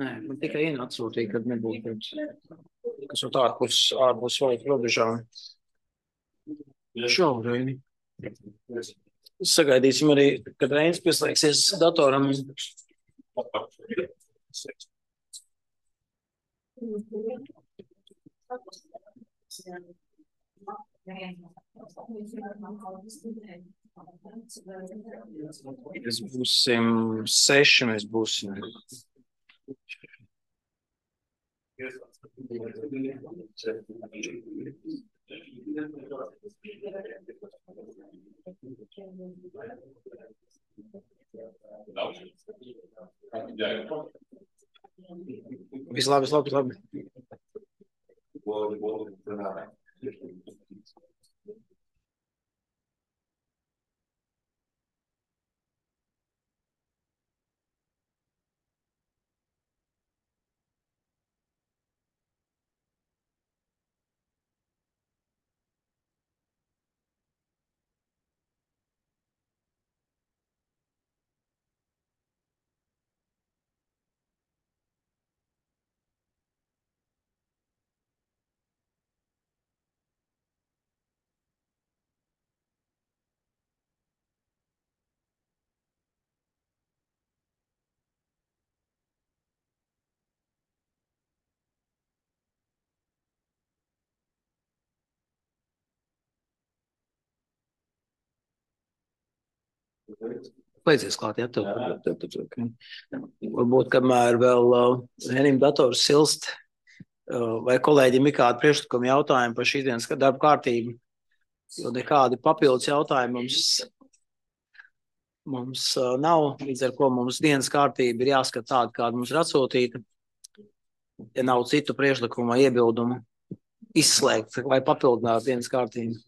Nē, man tikai atsūtīja, kad nebūtu, kas ir ārpus valsts robežām. Šobrīd. Sagaidīsim arī, kad Reinis pieslēgsies datoram. Mēs būsim 6, mēs būsim. Vislabāk. Beidzies klāt, ja tu. Varbūt, kamēr vēl Henim dators silst, vai kolēģim ir kādi priekšlikumi jautājumi par šīs dienas darba kārtību, jo nekādi papildus jautājumi mums nav, līdz ar ko mums dienas kārtība ir jāskat tāda, kāda mums ir atsūtīta, ja nav citu priekšlikumu vai iebildumu izslēgt vai papildināt dienas kārtību.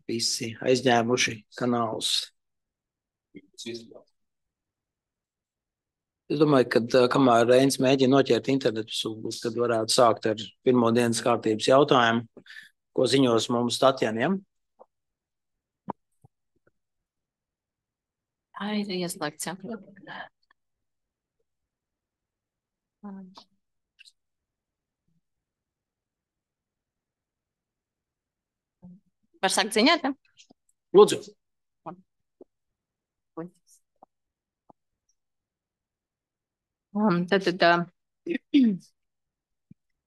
Visi aizņēmuši kanālus. Es domāju, ka kamēr Reinis mēģina noķert internetu, tad varētu sākt ar pirmo dienas kārtības jautājumu, ko ziņos mums Tatjana, ja? Tā ir ieslēgts, ja. Var sākt ziņot, ja? Lūdzu. Tad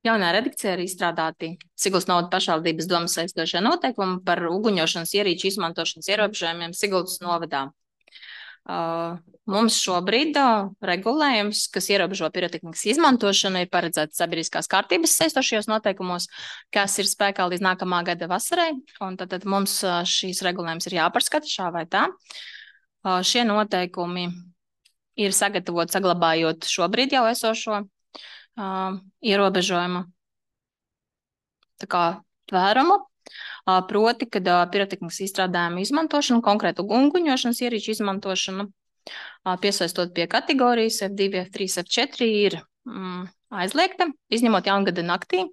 jaunā redakcijā ir izstrādāti Siguldas novada pašvaldības domas saistošie noteikumi par uguņošanas ierīču izmantošanas ierobežojumiem Siguldas novadā. Mums šobrīd regulējums, kas ierobežo pirotehnikas izmantošanu, ir paredzēts sabiedriskās kārtības saistošajos noteikumos, kas ir spēkā līdz nākamā gada vasarai, un tad mums šīs regulējums ir jāpārskata šā vai tā. Šie noteikumi ir sagatavoti saglabājot šobrīd jau esošo ierobežojumu tā kā tvērumu. Proti, kad pirotehnikas izstrādājumu izmantošanu, konkrētu uguņošanas ierīču izmantošanu, piesaistot pie kategorijas F2, F3, F4 ir aizliegta, izņemot jaungada naktī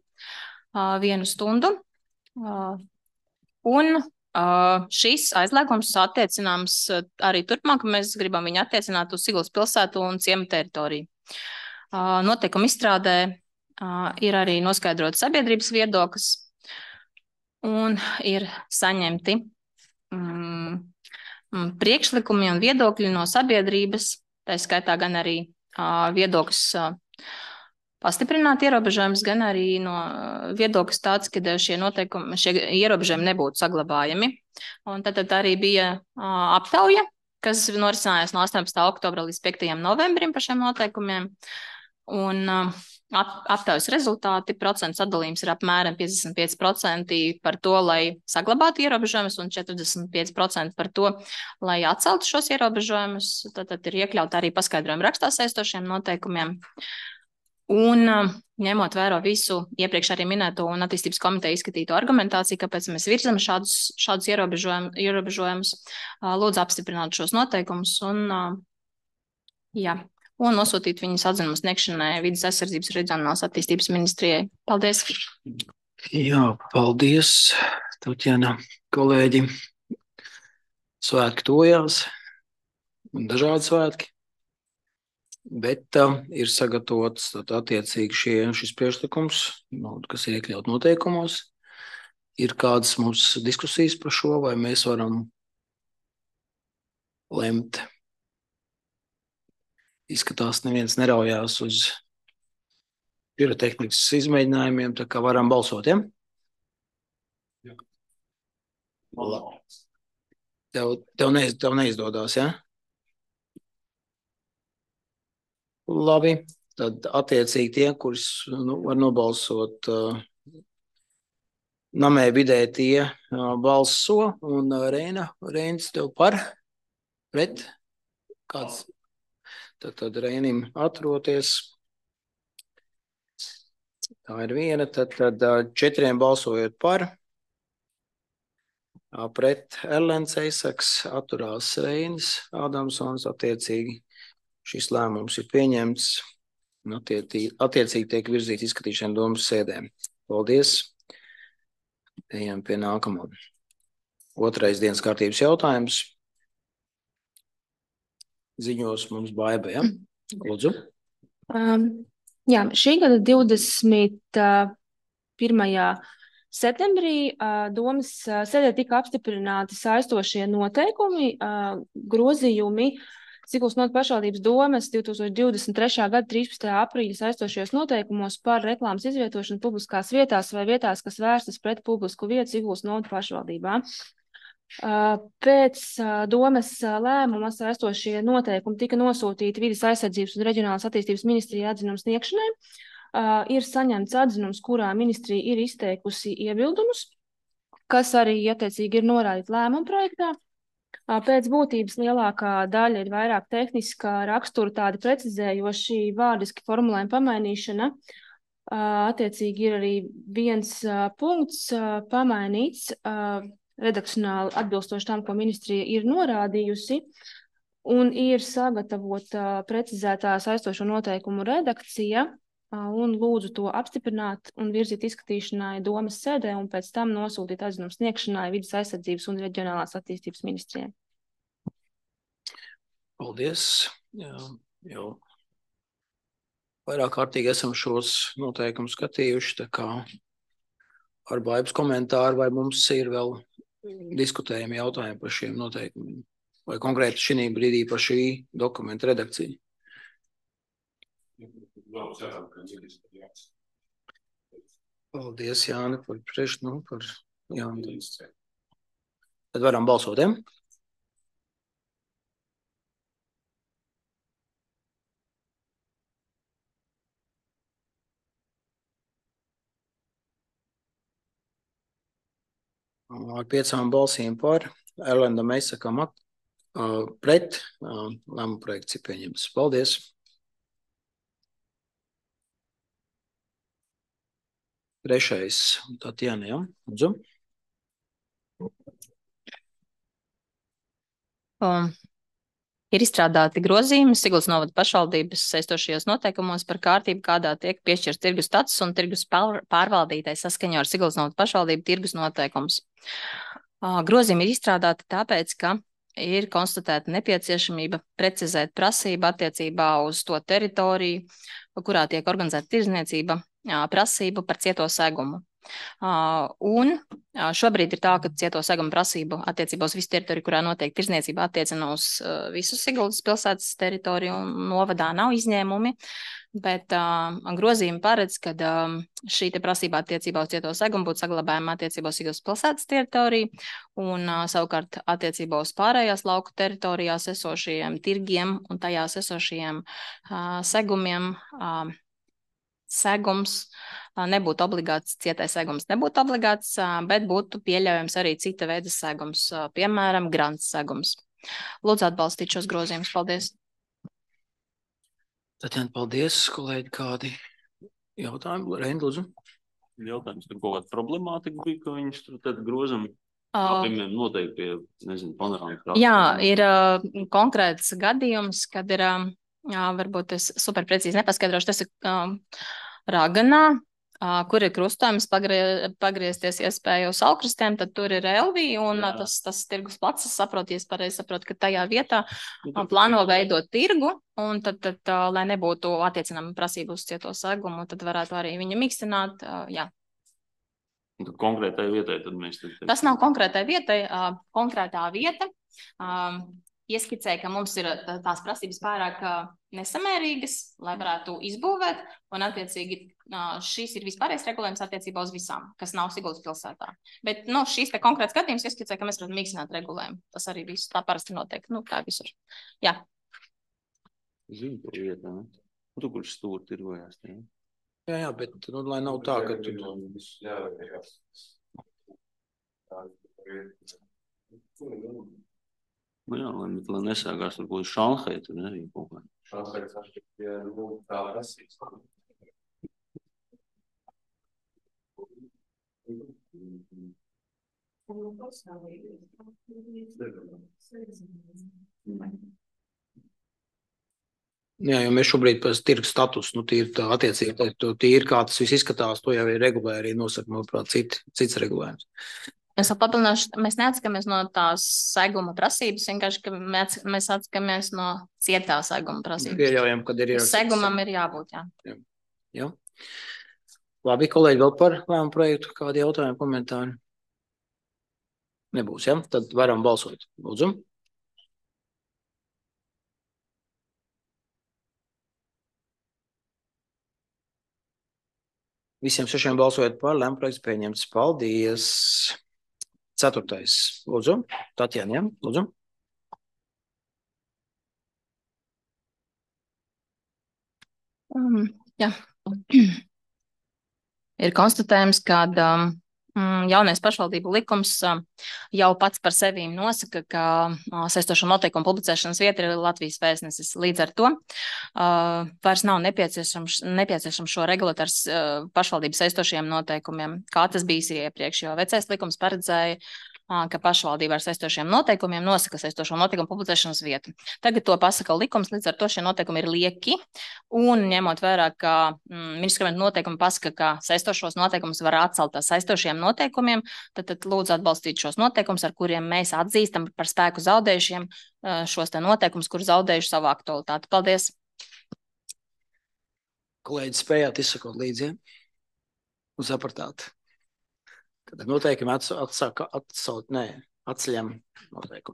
1 stundu. Un šis aizliegums attiecināms arī turpmāk, mēs gribam viņu attiecināt uz Siguldas pilsētu un ciemu teritoriju. Noteikumu izstrādē ir arī noskaidrots sabiedrības viedoklis, un ir saņemti priekšlikumi un viedokļi no sabiedrības, tā skaitā gan arī viedoklis pastiprināt ierobežojumus, gan arī no viedoklis tāds, ka šie ierobežojumi nebūtu saglabājami. Un tad arī bija aptauja, kas norisinājās no 18. oktobra līdz 5. novembrim par šiem noteikumiem. Un aptaujas rezultāti, procentu sadalījums ir apmēram 55% par to, lai saglabātu ierobežojumus, un 45% par to, lai atceltu šos ierobežojumus. Tad ir iekļauta arī paskaidrojuma rakstā saistošiem noteikumiem. Un ņemot vērā visu iepriekš arī minēto un attīstības komiteja izskatīto argumentāciju, kāpēc mēs virzam šādus ierobežojumus, lūdzu apstiprināt šos noteikumus un nosūtīt viņas atzinumu sniegšanai Vides aizsardzības un reģionālās attīstības ministrijai. Paldies! Jā, paldies, Tatjana, kolēģi. Svētki tojās, dažādi svētki, bet ir sagatavots attiecīgi šis priekšlikums, kas ir iekļaut noteikumos. Ir kādas mums diskusijas par šo, vai mēs varam lemt? Izskatās, neviens neraujās uz pirotehnikas izmēģinājumiem, tā kā varam balsot, ja? Jā. Tev neizdodas, ja? Labi, tad attiecīgi tie, kurus var nobalsot namē vidē, tie balso, un Reinis tev par? Pret? Kāds? Tad Reinim atroties. Tā ir viena. Tad 4 balsojot par. Pret Erlends Eisaks, atturās Reinis Ādamsons. Attiecīgi šis lēmums ir pieņemts. Attiecīgi tiek virzīt izskatīšana domas sēdēm. Paldies. Ejam pie nākamā. Otrais dienas kārtības jautājums. Ziņos mums Baiba, ja? Lūdzu. Jā, šī gada 21. septembrī domas sēdē tika apstiprināti saistošie noteikumi, grozījumi Siguldas novadas pašvaldības domas 2023. gada 13. aprīļa saistošajos noteikumos par reklāmas izvietošanu publiskās vietās vai vietās, kas vērstas pret publisku vietu Siguldas novadas pašvaldībā. Pēc domas lēmuma saistošie noteikumi tika nosūtīti Vides aizsardzības un reģionālās attīstības ministrijai atzinumu sniegšanai. Ir saņemts atzinums, kurā ministrija ir izteikusi iebildumus, kas arī attiecīgi ir norādīti lēmuma projektā. Pēc būtības lielākā daļa ir vairāk tehniskā rakstura, tādi precizējoši vārdiski formulējumi pamainīšana. Attiecīgi ir arī viens punkts pamainīts, redakcionāli atbilstoši tam, ko ministrija ir norādījusi, un ir sagatavota precizētā saistošo noteikumu redakcija, un lūdzu to apstiprināt un virzīt izskatīšanai domas sēdē, un pēc tam nosūtīt atzinumu sniegšanai Vides aizsardzības un reģionālās attīstības ministrijai. Paldies. Jau vairāk kārtīgi esam šos noteikumus skatījuši, tā kā ar Baibas komentāru, vai mums ir vēl diskutējami jautājumi par šiem noteikumiem, vai konkrēti šī brīdī par šī dokumenta redakciju. Paldies, Jāni, par Jāni. Tad varam balsot, ja? Ar 5 balsīm par, Erlendam Eisakam pret, lēmuma projekts ir pieņemts. Paldies! Trešais, Tatjana, ja? Lūdzu. Ir izstrādāti grozījumi Siguldas novadas pašvaldības saistošajos noteikumos par kārtību, kādā tiek piešķirts tirgus status un tirgus pārvaldītai saskaņā ar Siguldas novadas pašvaldību tirgus noteikumus. Grozījumi ir izstrādāti tāpēc, ka ir konstatēta nepieciešamība precizēt prasību attiecībā uz to teritoriju, kurā tiek organizēta tirdzniecība, prasību par cieto segumu. Un šobrīd ir tā, ka cieto segumu prasību attiecībā uz visu teritoriju, kurā notiek tirdzniecība, attiecina uz visu Siguldas pilsētas teritoriju, un novadā nav izņēmumi, bet grozījumi paredz, ka šī te prasība attiecībā uz cieto segumu būtu saglabājama attiecībā uz Siguldas pilsētas teritoriju, un savukārt attiecībā uz pārējās lauku teritorijās esošajiem tirgiem un tajās esošajiem segumiem segums nebūtu obligāts, cietais segums nebūtu obligāts, bet būtu pieļaujams arī cita veida segums, piemēram, grants segums. Lūdzu atbalstīt šos grozījumus. Paldies. Tatjana, paldies, kolēģi, kādi jautājumi? Reini, lūdzu. Jautājums, tur kaut kāda problemātika bija, ka viņus tur tad grozam. Piemēram, noteikti pie, nezinu, panorāmas. Jā, ir konkrēts gadījums, kad ir, varbūt es super precīzi nepaskaidrošu, tas ir Raganā, kur ir krustojums pagriezties iespēju uz Alkristiem, tad tur ir Elvija un tas tirgus plats, es saprotu, ja es pareizi saprotu, ka tajā vietā plāno veidot tirgu, un tad lai nebūtu attiecinama prasība uz cieto segumu, tad varētu arī viņu mikstināt, jā. Tad konkrētai vietai tad mēs... Tas nav konkrētai vietai, konkrētā vieta ieskicēja, ka mums ir tās prasības pārāk nesamērīgas, lai varētu izbūvēt, un attiecīgi šīs ir vispārējais regulējums attiecībā uz visām, kas nav Siguldas pilsētā. Bet šīs te konkrēts gadījums ieskicēja, ka mēs varam mīkstināt regulējumu. Tas arī viss tā parasti notiek, tā visur. Jā. Zinu par vietā, ne? Tu kurš stūri tirgojās, ne? Jā, bet lai nav tā, ka tu... Jā, lai nesākās varbūt Šanhai, tur arī kaut kā. Šanhai sašķiet, ja tā prasīs. Jā, jo mēs šobrīd pēc tirgu status, tīri tā attiecīgi, tīri kā tas viss izskatās, to jau ir regulē arī nosaka, manuprāt, cits regulējums. Es vēl papildināšu, mēs neatskamies no tās seguma prasības, vienkārši, ka mēs atskamies no cietā seguma prasības. Pieļaujam, kad ir segumam ir jābūt, jā. Jā. Labi, kolēģi, vēl par lēmumu projektu, kādi jautājumi, komentāri? Nebūs, ja? Tad varam balsot. Lūdzu. Visiem 6 balsojot par, lēmumu projekts pieņemts. Paldies! 4. Lūdzu. Tatjana, ja? Lūdzu. Jā. Ir konstatējums, ka jaunais pašvaldību likums jau pats par sevi nosaka, ka saistošo noteikumu publicēšanas vieta ir Latvijas vēstnesis. Līdz ar to vairs nav nepieciešams šo regulēt ar pašvaldību saistošiem noteikumiem, kā tas bijis iepriekš, jo vecais likums paredzēja, ka pašvaldība ar saistošiem noteikumiem nosaka saistošo noteikumu publicēšanas vietu. Tagad to pasaka likums, līdz ar to šie noteikumi ir lieki, un ņemot vērā, ka ministra kabineta noteikumi pasaka, ka saistošos noteikumus var atcelt ar saistošiem noteikumiem, tad lūdzu atbalstīt šos noteikumus, ar kuriem mēs atzīstam par spēku zaudējušiem šos te noteikumus, kur zaudējuši savu aktualitāti. Paldies! Kolēģi, spējāt izsakot līdzi, ja? Un sapratāt. Tad noteikumi atceļam noteikumu.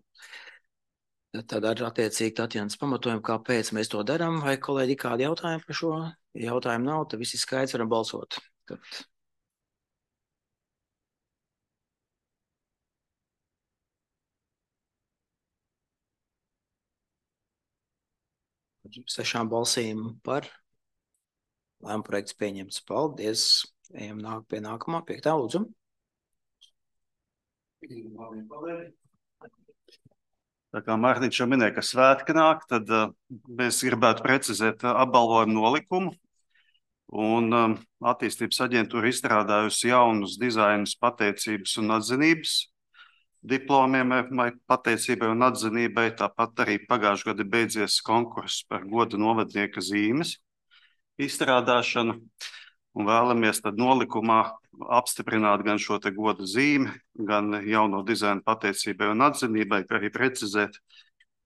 Tad ar attiecīgi Tatjanas pamatojumu, kāpēc mēs to darām, vai kolēģi kādi jautājumi par šo? Ja jautājumu nav, tad visi skaidrs varam balsot. Tad... Sešām balsīm par lēmumu projekts pieņemts. Paldies. Ejam pie nākamā, 5. lūdzu. Tā kā Mārtiņš jau minēja, ka svētki nāk, tad mēs gribētu precizēt apbalvojumu nolikumu. Un attīstības aģentūra izstrādājusi jaunus dizainus pateicības un atzinības diplomiem pateicībai un atzinībai. Tāpat arī pagājušajā gadā beidzies konkurss par goda novadnieka zīmes izstrādāšanu. Un vēlamies tad nolikumā apstiprināt gan šo te goda zīmi, gan jauno dizainu pateicībai un atzinībai, kā arī precizēt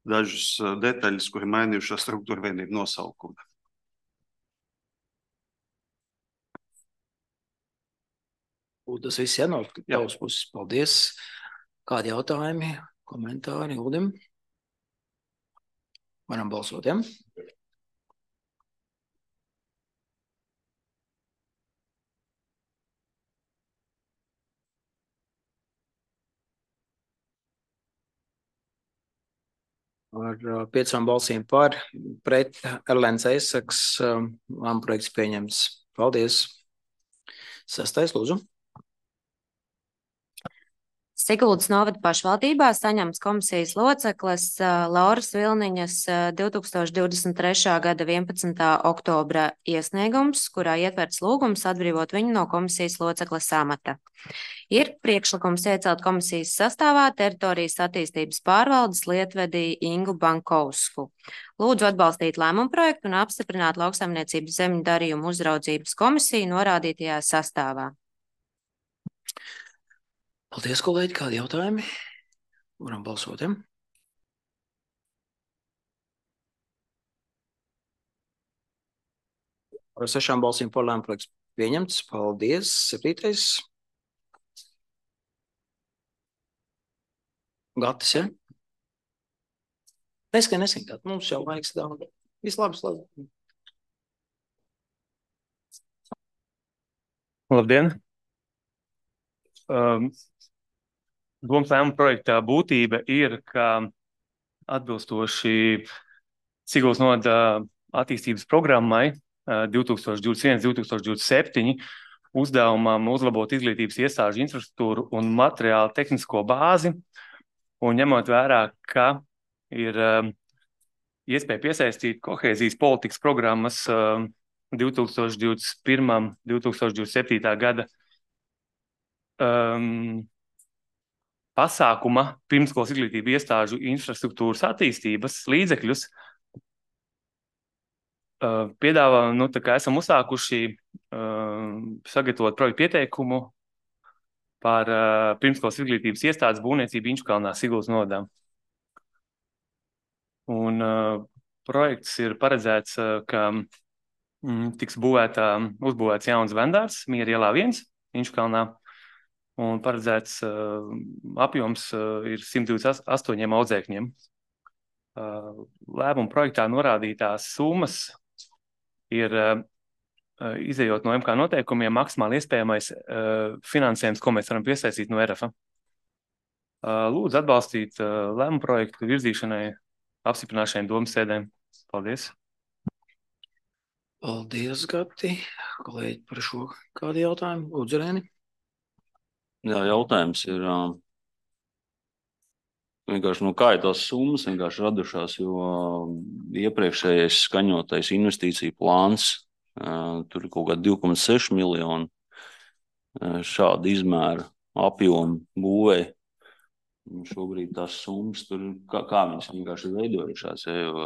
dažas detaļas, kuri mainījušās struktūra vienību nosaukumu. Tas viss jānāk tavas puses. Paldies. Kādi jautājumi, komentāri, Uldim? Varam balsot, ja? Ar 5 balsīm par, pret Erlēns Eisaks, lēmumu projekts pieņemts. Paldies. 6. lūdzu. Siguldas novada pašvaldībā saņemts komisijas locekles Lauras Vilniņas 2023. gada 11. oktobra iesniegums, kurā ietverts lūgums atbrīvot viņu no komisijas locekles amata. Ir priekšlikums iecelt komisijas sastāvā teritorijas attīstības pārvaldes lietvedī Ingu Bankovsku. Lūdzu atbalstīt lēmumu projektu un apstiprināt lauksaimniecības zemju darījumu uzraudzības komisiju norādītajā sastāvā. Paldies, kolēģi. Kādi jautājumi? Varam balsot, ja? Ar 6 balsīm par lēmumu projekts pieņemts. Paldies. 7. Gatis, ja? Neskan, Gat. Mums jau laiks daudz. Vislabs. Labdien! Domas lēmuma projektā būtība ir, ka atbilstoši Siguldas novada attīstības programmai 2021–2027 uzdevumam uzlabot izglītības iestāžu infrastruktūru un materiālu tehnisko bāzi, un ņemot vērā, ka ir iespēja piesaistīt kohēzijas politikas programmas 2021–2027. gada pasākuma pirmskolas izglītību iestāžu infrastruktūras attīstības līdzekļus. Piedāvājam, tā kā esam uzsākuši sagatavot projektu pieteikumu par pirmskolas izglītības iestādes būvniecību Inčukalnā, Siguldas novadā. Un projekts ir paredzēts, ka tiks uzbūvēts jauns vendārs Miera ielā 1 Inčukalnā. Un paredzēts apjoms ir 128 audzēkņiem. Lēmuma projektā norādītās summas ir, izejot no MK noteikumiem, maksimāli iespējamais finansējums, ko mēs varam piesaistīt no RF. Lūdzu atbalstīt lēmuma projektu virzīšanai, apstiprināšanai domas sēdēm. Paldies! Paldies, Gati. Kolēģi, par šo kādu jautājumu? Lūdzu, Rēni. Jā, jautājums ir vienkārši, kā ir tās summas vienkārši radušās, jo iepriekšējais skaņotais investīciju plāns, tur ir kaut kā 2,6 miljoni šāda izmēra apjoma būvē. Šobrīd tās summas tur, kā viņas vienkārši veidojušās, jo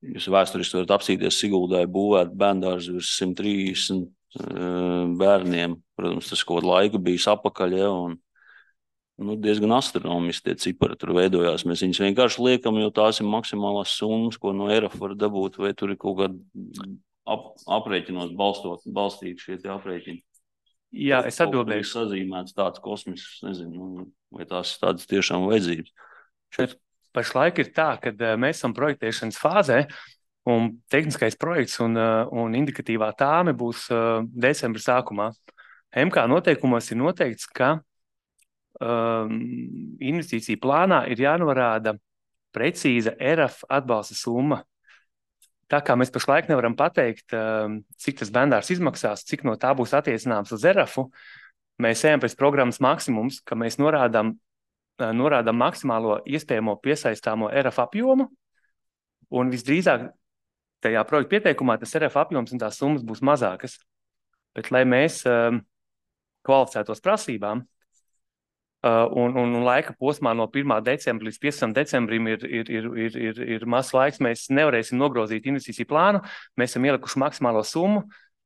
jūs vēsturiski varat apsīties Siguldai būvēt bērndārzu virs 130 bērniem. Protams, tas kaut kādu laiku bijis apakaļ, ja, un diezgan astronomiski tie cipari tur veidojās. Mēs viņus vienkārši liekam, jo tās ir maksimālās summas, ko no ERF var dabūt, vai tur ir kaut kāda aprēķinos balstīt šie tie aprēķini. Jā, es atbildēšu. Ir sazīmēts tāds kosmisks, nezinu, vai tās ir tādas tiešām vajadzības. Šeit pašlaik ir tā, ka mēs esam projektēšanas fāzē, un tehniskais projekts un indikatīvā tāme būs decembra sākumā. MK noteikumos ir noteikts, ka investīcija plānā ir jānorāda precīza ERF atbalsta summa. Tā kā mēs pašlaik nevaram pateikt, cik tas bērndārs izmaksās, cik no tā būs attiecināms uz ERF-u, mēs ejam pēc programmas maksimums, ka mēs norādām maksimālo iespējamo piesaistāmo ERF apjomu, un visdrīzāk tajā projekta pieteikumā tas ERF apjoms un tās summas būs mazākas. Bet, lai mēs kvalificētos prasībām, un laika posmā no 1. decembra līdz 15. decembrim ir mazs laiks, mēs nevarēsim nogrozīt investīciju plānu, mēs esam ielikuši maksimālo summu,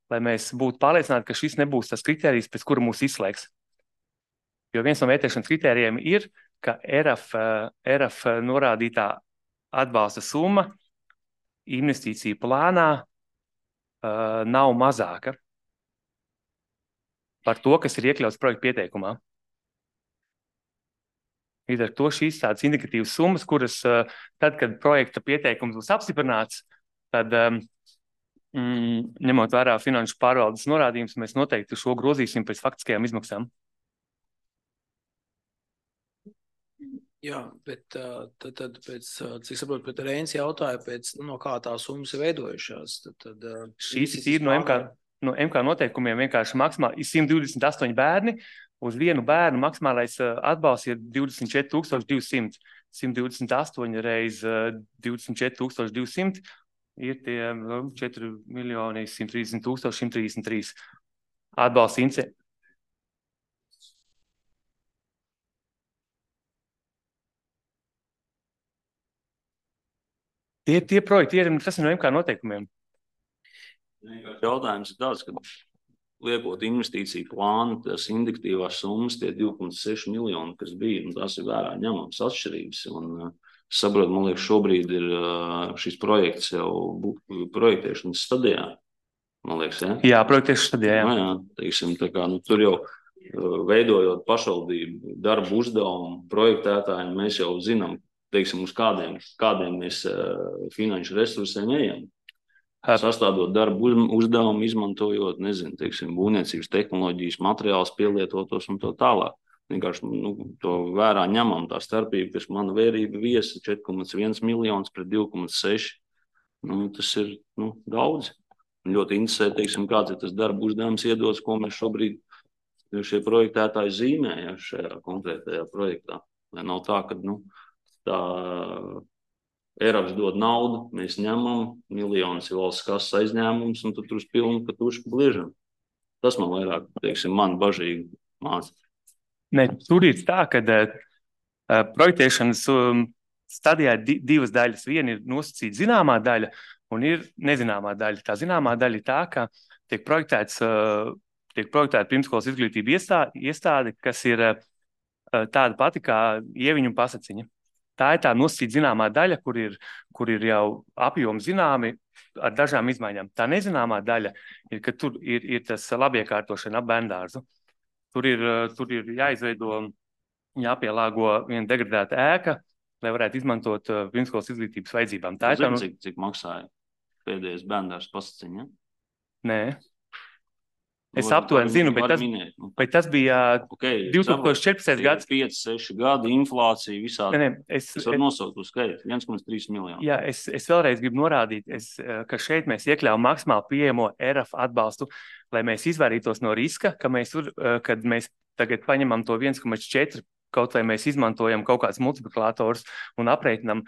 lai mēs būtu pārliecināti, ka šis nebūs tas kritērijs, pēc kura mūs izslēgs. Jo viens no vērtēšanas kritērijiem ir, ka ERF norādītā atbalsta summa investīciju plānā nav mazāka par to, kas ir iekļauts projekta pieteikumā. Līdz ar to šīs tādas indikatīvas summas, kuras tad, kad projekta pieteikums būs apstiprināts, tad ņemot vērā finanšu pārvaldes norādījumus, mēs noteikti šo grozīsim pēc faktiskajām izmaksām. Jā, bet tad pēc, cik saprotu, pēc Reinis jautāja, no kā tā summas ir veidojušās. Tad Šīs ir no MK noteikumiem vienkārši maksimāli 128 bērni. Uz vienu bērnu maksimālais atbalsts ir 24,200. 128 reiz 24,200 ir tie 4,130,133 atbalsts ince. Tie projekti tas ir no MK noteikumiem. Jautājums ir tāds, ka liekot investīciju plānu, tās indikatīvās summas, tie 2,6 miljoni, kas bija, un tās ir vērā ņemams atšķirības. Un saprotu, man liekas, šobrīd ir šis projekts jau projektēšanas stadijā. Man liekas, ja? Jā, projektēšanas stadijā, jā. Jā, teiksim, tā kā, tur jau veidojot pašvaldību darbu uzdevumu projektētāji, mēs jau zinām, teiksim, uz kādiem mēs finanšu resursiem ejam. Sastādot darbu uzdevumu, izmantojot, nezinu, teiksim, būvniecības tehnoloģijas, materiālus pielietotos un to tālāk. Vienkārši to vērā ņemam tā starpība, kas mana vērība viesa 4,1 miljonus pret 2,6. Tas ir daudz. Ļoti interesē, teiksim, kāds ir tas darbu uzdevums iedots, ko mēs šobrīd šie projektētāji zīmē šajā konkrētajā projektā. Lai nav tā, ka tā Eiropas dod naudu, mēs ņemam, miljonus ir valsts kases aizņēmums, un tad tur uz pilnu pa tušu bliežam. Tas man vairāk, teiksim, man bažīgi māca. Ne, tur ir tā, ka projektēšanas stadijā ir divas daļas. Viena ir nosacīta zināmā daļa, un ir nezināmā daļa. Tā zināmā daļa ir tā, ka tiek projektēta pirmskolas izglītība iestāde, kas ir tāda pati kā Ieviņu un Pasaciņa. Tā ir tā nosacīta zināmā daļa, kur ir jau apjomi zināmi ar dažām izmaiņām. Tā nezināmā daļa ir, ka tur ir tas labiekārtošana ap bērndārzu. Tur ir jāizveido, jāpielāgo viena degradēta ēka, lai varētu izmantot pirmskolas izglītības vajadzībām. Tā ir tā, cik maksāja pēdējais bērndārs Pasaciņa? Nē. Es aptuveni zinu, bet tas bija 2014. gads. 5-6 gadi, inflācija, visādi. Es varu nosaukt uz skaitu, 1,3 miljonu. Jā, es vēlreiz gribu norādīt, ka šeit mēs iekļaujam maksimāli pieejamo ERAF atbalstu, lai mēs izvairītos no riska, kad mēs tagad paņemam to 1,4, kaut vai mēs izmantojam kaut kāds multiplikators un aprēķinam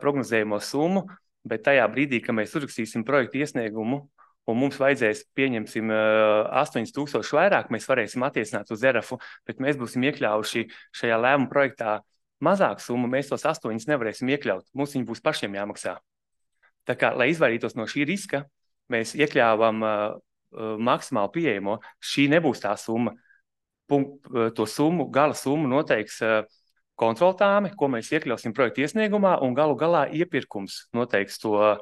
prognozējumu summu, bet tajā brīdī, ka mēs uzrakstīsim projektu iesniegumu, un mums vajadzēs, pieņemsim, 8,000 vairāk, mēs varēsim attiecināt uz ERAFu, bet mēs būsim iekļaujuši šajā lēmuma projektā mazāku summu, mēs tos 8 nevarēsim iekļaut. Mums viņi būs pašiem jāmaksā. Tā kā, lai izvairītos no šī riska, mēs iekļāvām maksimāli pieejamo. Šī nebūs tā summa. To summu, gala summu noteiks kontroltāme, ko mēs iekļausim projektu iesniegumā, un galu galā iepirkums noteiks to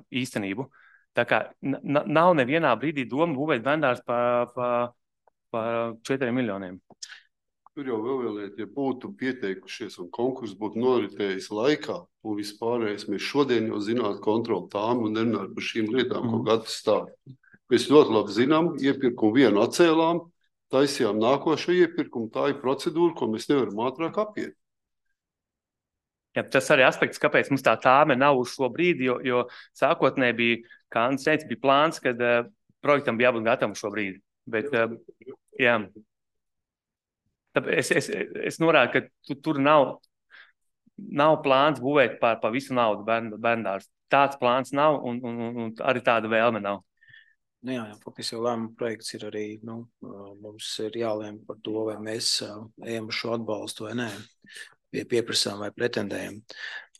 īstenību. Tā kā nav nevienā brīdī doma būvēt bērndārs pa 4 miljoniem. Tur jau vēl lieta, ja būtu pieteikušies un konkurss būtu noritējis laikā, un vispārējais mēs šodien jau zinātu kontroli tām un nerunāt par šīm lietām, ko gadu stāv. Mēs ļoti labi zinām, iepirkumu vienu atcēlām, taisījām nākošo iepirkumu, tā ir procedūra, ko mēs nevaram ātrāk apiet. Jā, tas arī aspekts, kāpēc mums tā tāme nav uz šo brīdi, jo sākotnēji bija, kā Andris teica, bija plāns, kad projektam bija jābūt gatavam šo brīdi. Bet, jā. Tāpēc es norādu, ka tur nav plāns būvēt par visu naudu bērndārs. Tāds plāns nav un arī tāda vēlme nav. Jā, faktiski jau lēmuma projekts ir arī, mums ir jālēm par to, vai mēs ejam uz šo atbalstu vai nē. Pieprasām vai pretendējam.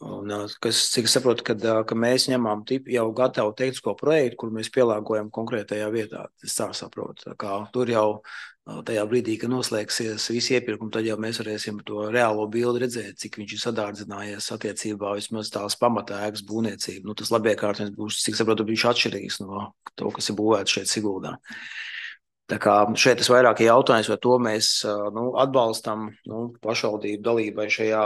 Un, cik es saprotu, ka mēs ņemam jau gatavu tehnisko projektu, kur mēs pielāgojam konkrētajā vietā. Es tā saprotu. Tā kā tur jau tajā brīdī, kad noslēgsies visi iepirkumi, tad jau mēs varēsim to reālo bildi redzēt, cik viņš ir sadārdzinājies attiecībā vismaz tās pamatēkas būvniecība. Tas labiekārtojums būs, cik saprotu, viņš atšķirīgs no to, kas ir būvēts šeit Siguldā. Tā kā šeit tas vairāk jautājums, vai to mēs atbalstam pašvaldību dalībai šajā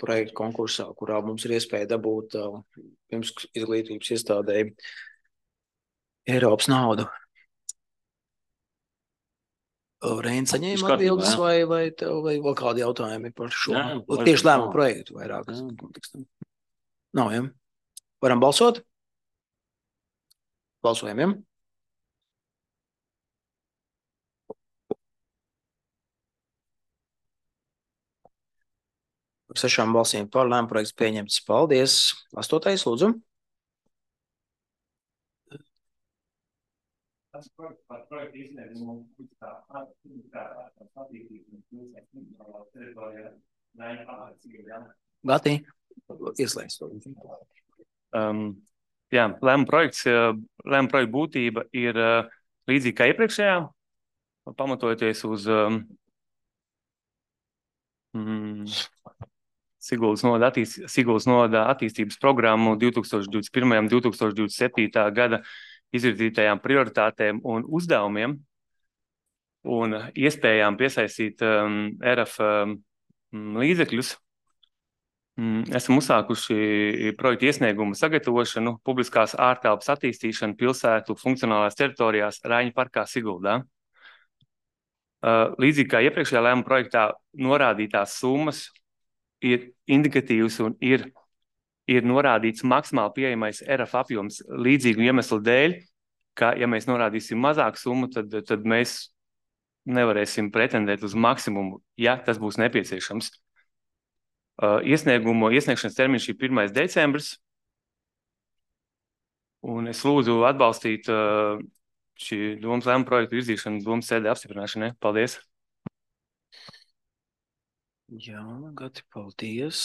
projektu konkursā, kurā mums ir iespēja dabūt pirms izglītības iestādēji Eiropas naudu. Reina saņēma Viss kārtībā, atbildes jā. vai tev vai vēl kādi jautājumi par šo? Jā, Tieši lēmumu nav. projektu vairāk. Jā. Kontekstam. Nav, ja? Varam balsot? Balsojam, ja? Par 6 balsīm par lēmumu projekts pieņemts. Paldies. 8. lūdzu. Par projektu izsniegumu Gati, ieslēgts to. Jā, lēmuma projekta būtība ir līdzīga kā iepriekšējā, pamatojoties uz Siguldas novada attīstības programmu 2021. 2027. gada izvirzītajām prioritātēm un uzdevumiem un iespējām piesaistīt ERAF līdzekļus. Esam uzsākuši projektu iesniegumu sagatavošanu, publiskās ārtelpas attīstīšanu pilsētu funkcionālās teritorijās Raiņu parkā Siguldā. Līdzīgi kā iepriekšējā lēmuma projektā norādītās summas ir indikatīvs un ir norādīts maksimāli pieejamais ERAF apjoms līdzīgu iemeslu dēļ, ka, ja mēs norādīsim mazāku summu, tad mēs nevarēsim pretendēt uz maksimumu, ja tas būs nepieciešams. Iesniegšanas termiņš ir 1. decembris, un es lūdzu atbalstīt šī domas lēmuma projektu virzīšanu domas sēdē apstiprināšanai. Paldies! Jā, Gati, paldies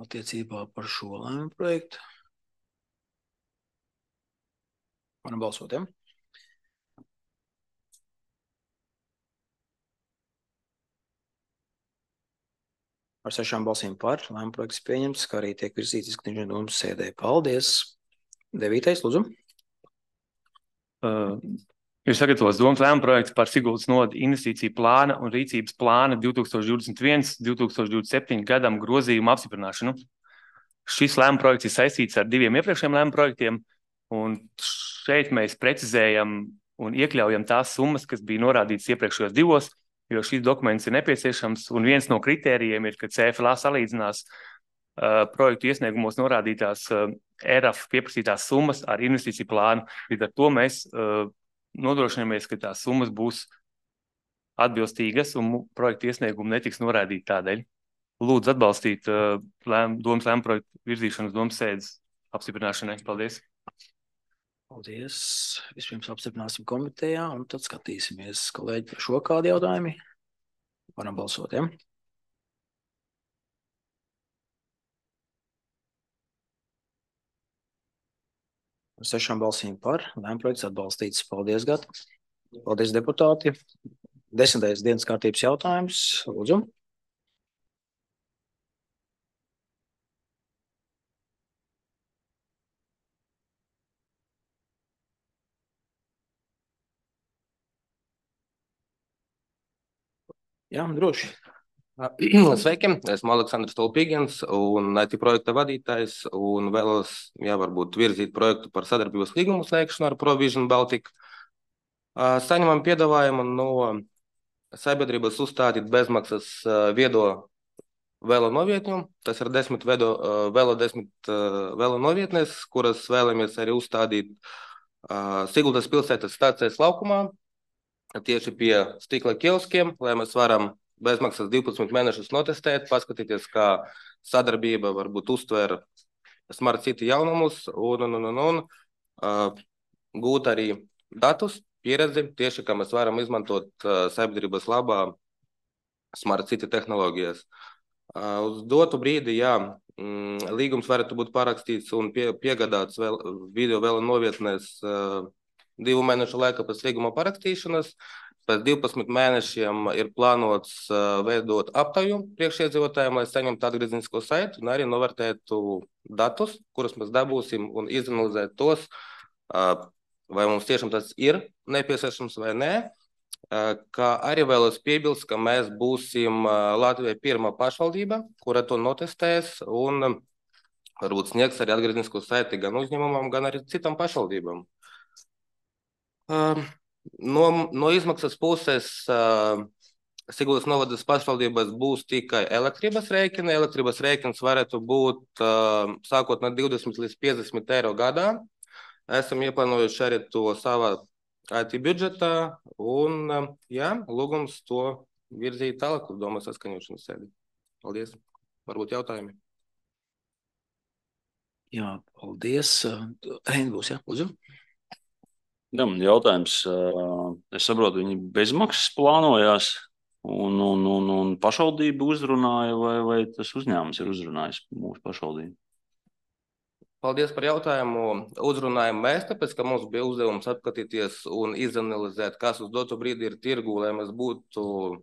attiecībā par šo lēmumu projektu. Varam balsot, ja? Ar 6 balsīm par lēmumu projekts pieņemts, kā arī tiek virzīts izskatīšanai domas sēdē. Paldies! 9. lūdzu. Ir sagatavots domas lēmuma projekts par Siguldas novada investīciju plāna un rīcības plāna 2021–2027 gadam grozījumu apstiprināšanu. Šis lēmuma projekts ir saistīts ar 2 iepriekšējiem lēmuma projektiem, un šeit mēs precizējam un iekļaujam tās summas, kas bija norādītas iepriekšējos 2, jo šīs dokuments ir nepieciešams, un viens no kritērijiem ir, ka CFLA salīdzinās projektu iesniegumos norādītās ERAF pieprasītās summas ar investīciju plānu. Līdz ar to mēs nodrošināmies, ka tās summas būs atbilstīgas un projektu iesniegumu netiks norādīti tādēļ. Lūdzu atbalstīt domas lēmuma projektu virzīšanu uz domas sēdes apstiprināšanai. Paldies! Paldies! Vispirms apstiprināsim komitejā un tad skatīsimies, kolēģi, par šo kādu jautājumi. Varam balsot, ja? Ar 6 balsīm par lēmuma projekts atbalstīts. Paldies, Gati! Paldies, deputāti! 10. dienas kārtības jautājums. Lūdzu! Jā, droši. Sveiki, esmu Aleksandrs Tolpīgens un IT projekta vadītājs un vēlos, varbūt virzīt projektu par sadarbības līgumu slēgšanu ar Provision Baltica. Saņemam piedāvājumu no sabiedrības uzstādīt bezmaksas viedo velo novietņu. Tas ir 10 velo novietnes, kuras vēlamies arī uzstādīt Siguldas pilsētas stācijas laukumā, tieši pie stikla kioskiem, lai mēs varam bezmaksas 12 mēnešus notestēt, paskatīties, kā sadarbība varbūt uztver Smart City jaunumus un gūt arī datus, pieredzi, tieši kā mēs varam izmantot sabiedrības labā Smart City tehnoloģijas. Uz dotu brīdi, līgums varētu būt parakstīts un piegādāts video velo novietnēs 2 mēnešu laikā pēc līguma parakstīšanas. Pēc 12 mēnešiem ir plānots veidot aptauju priekšiedzīvotājiem, lai saņemtu atgriezenisko saiti un arī novērtētu datus, kurus mēs dabūsim un izanalizēt tos, vai mums tiešām tas ir nepieciešams vai nē. Kā arī vēlos piebilst, ka mēs būsim Latvijai pirmā pašvaldība, kura to notestēs un varbūt sniegs arī atgriezenisko saiti gan uzņēmumam, gan arī citam pašvaldībām. No izmaksas puses Siguldas novadas pašvaldībās būs tikai elektrības rēķini. Elektrības rēķins varētu būt sākot no 20 līdz 50 eiro gadā. Esam ieplānojuši arī to savā IT budžetā un lūgums to virzīt tālāk uz domas saskaņošanas sēdi. Paldies. Varbūt jautājumi. Jā, paldies. Reini būs, lūdzu. Jā, man jautājums. Es saprotu, viņi bezmaksas plānojās un pašvaldība uzrunāja, vai tas uzņēmums ir uzrunājis mūsu pašvaldību? Paldies par jautājumu. Uzrunājam mēs, tāpēc, ka mums bija uzdevums apskatīties un izanalizēt, kas uz dotu brīdi ir tirgu, lai mēs būtu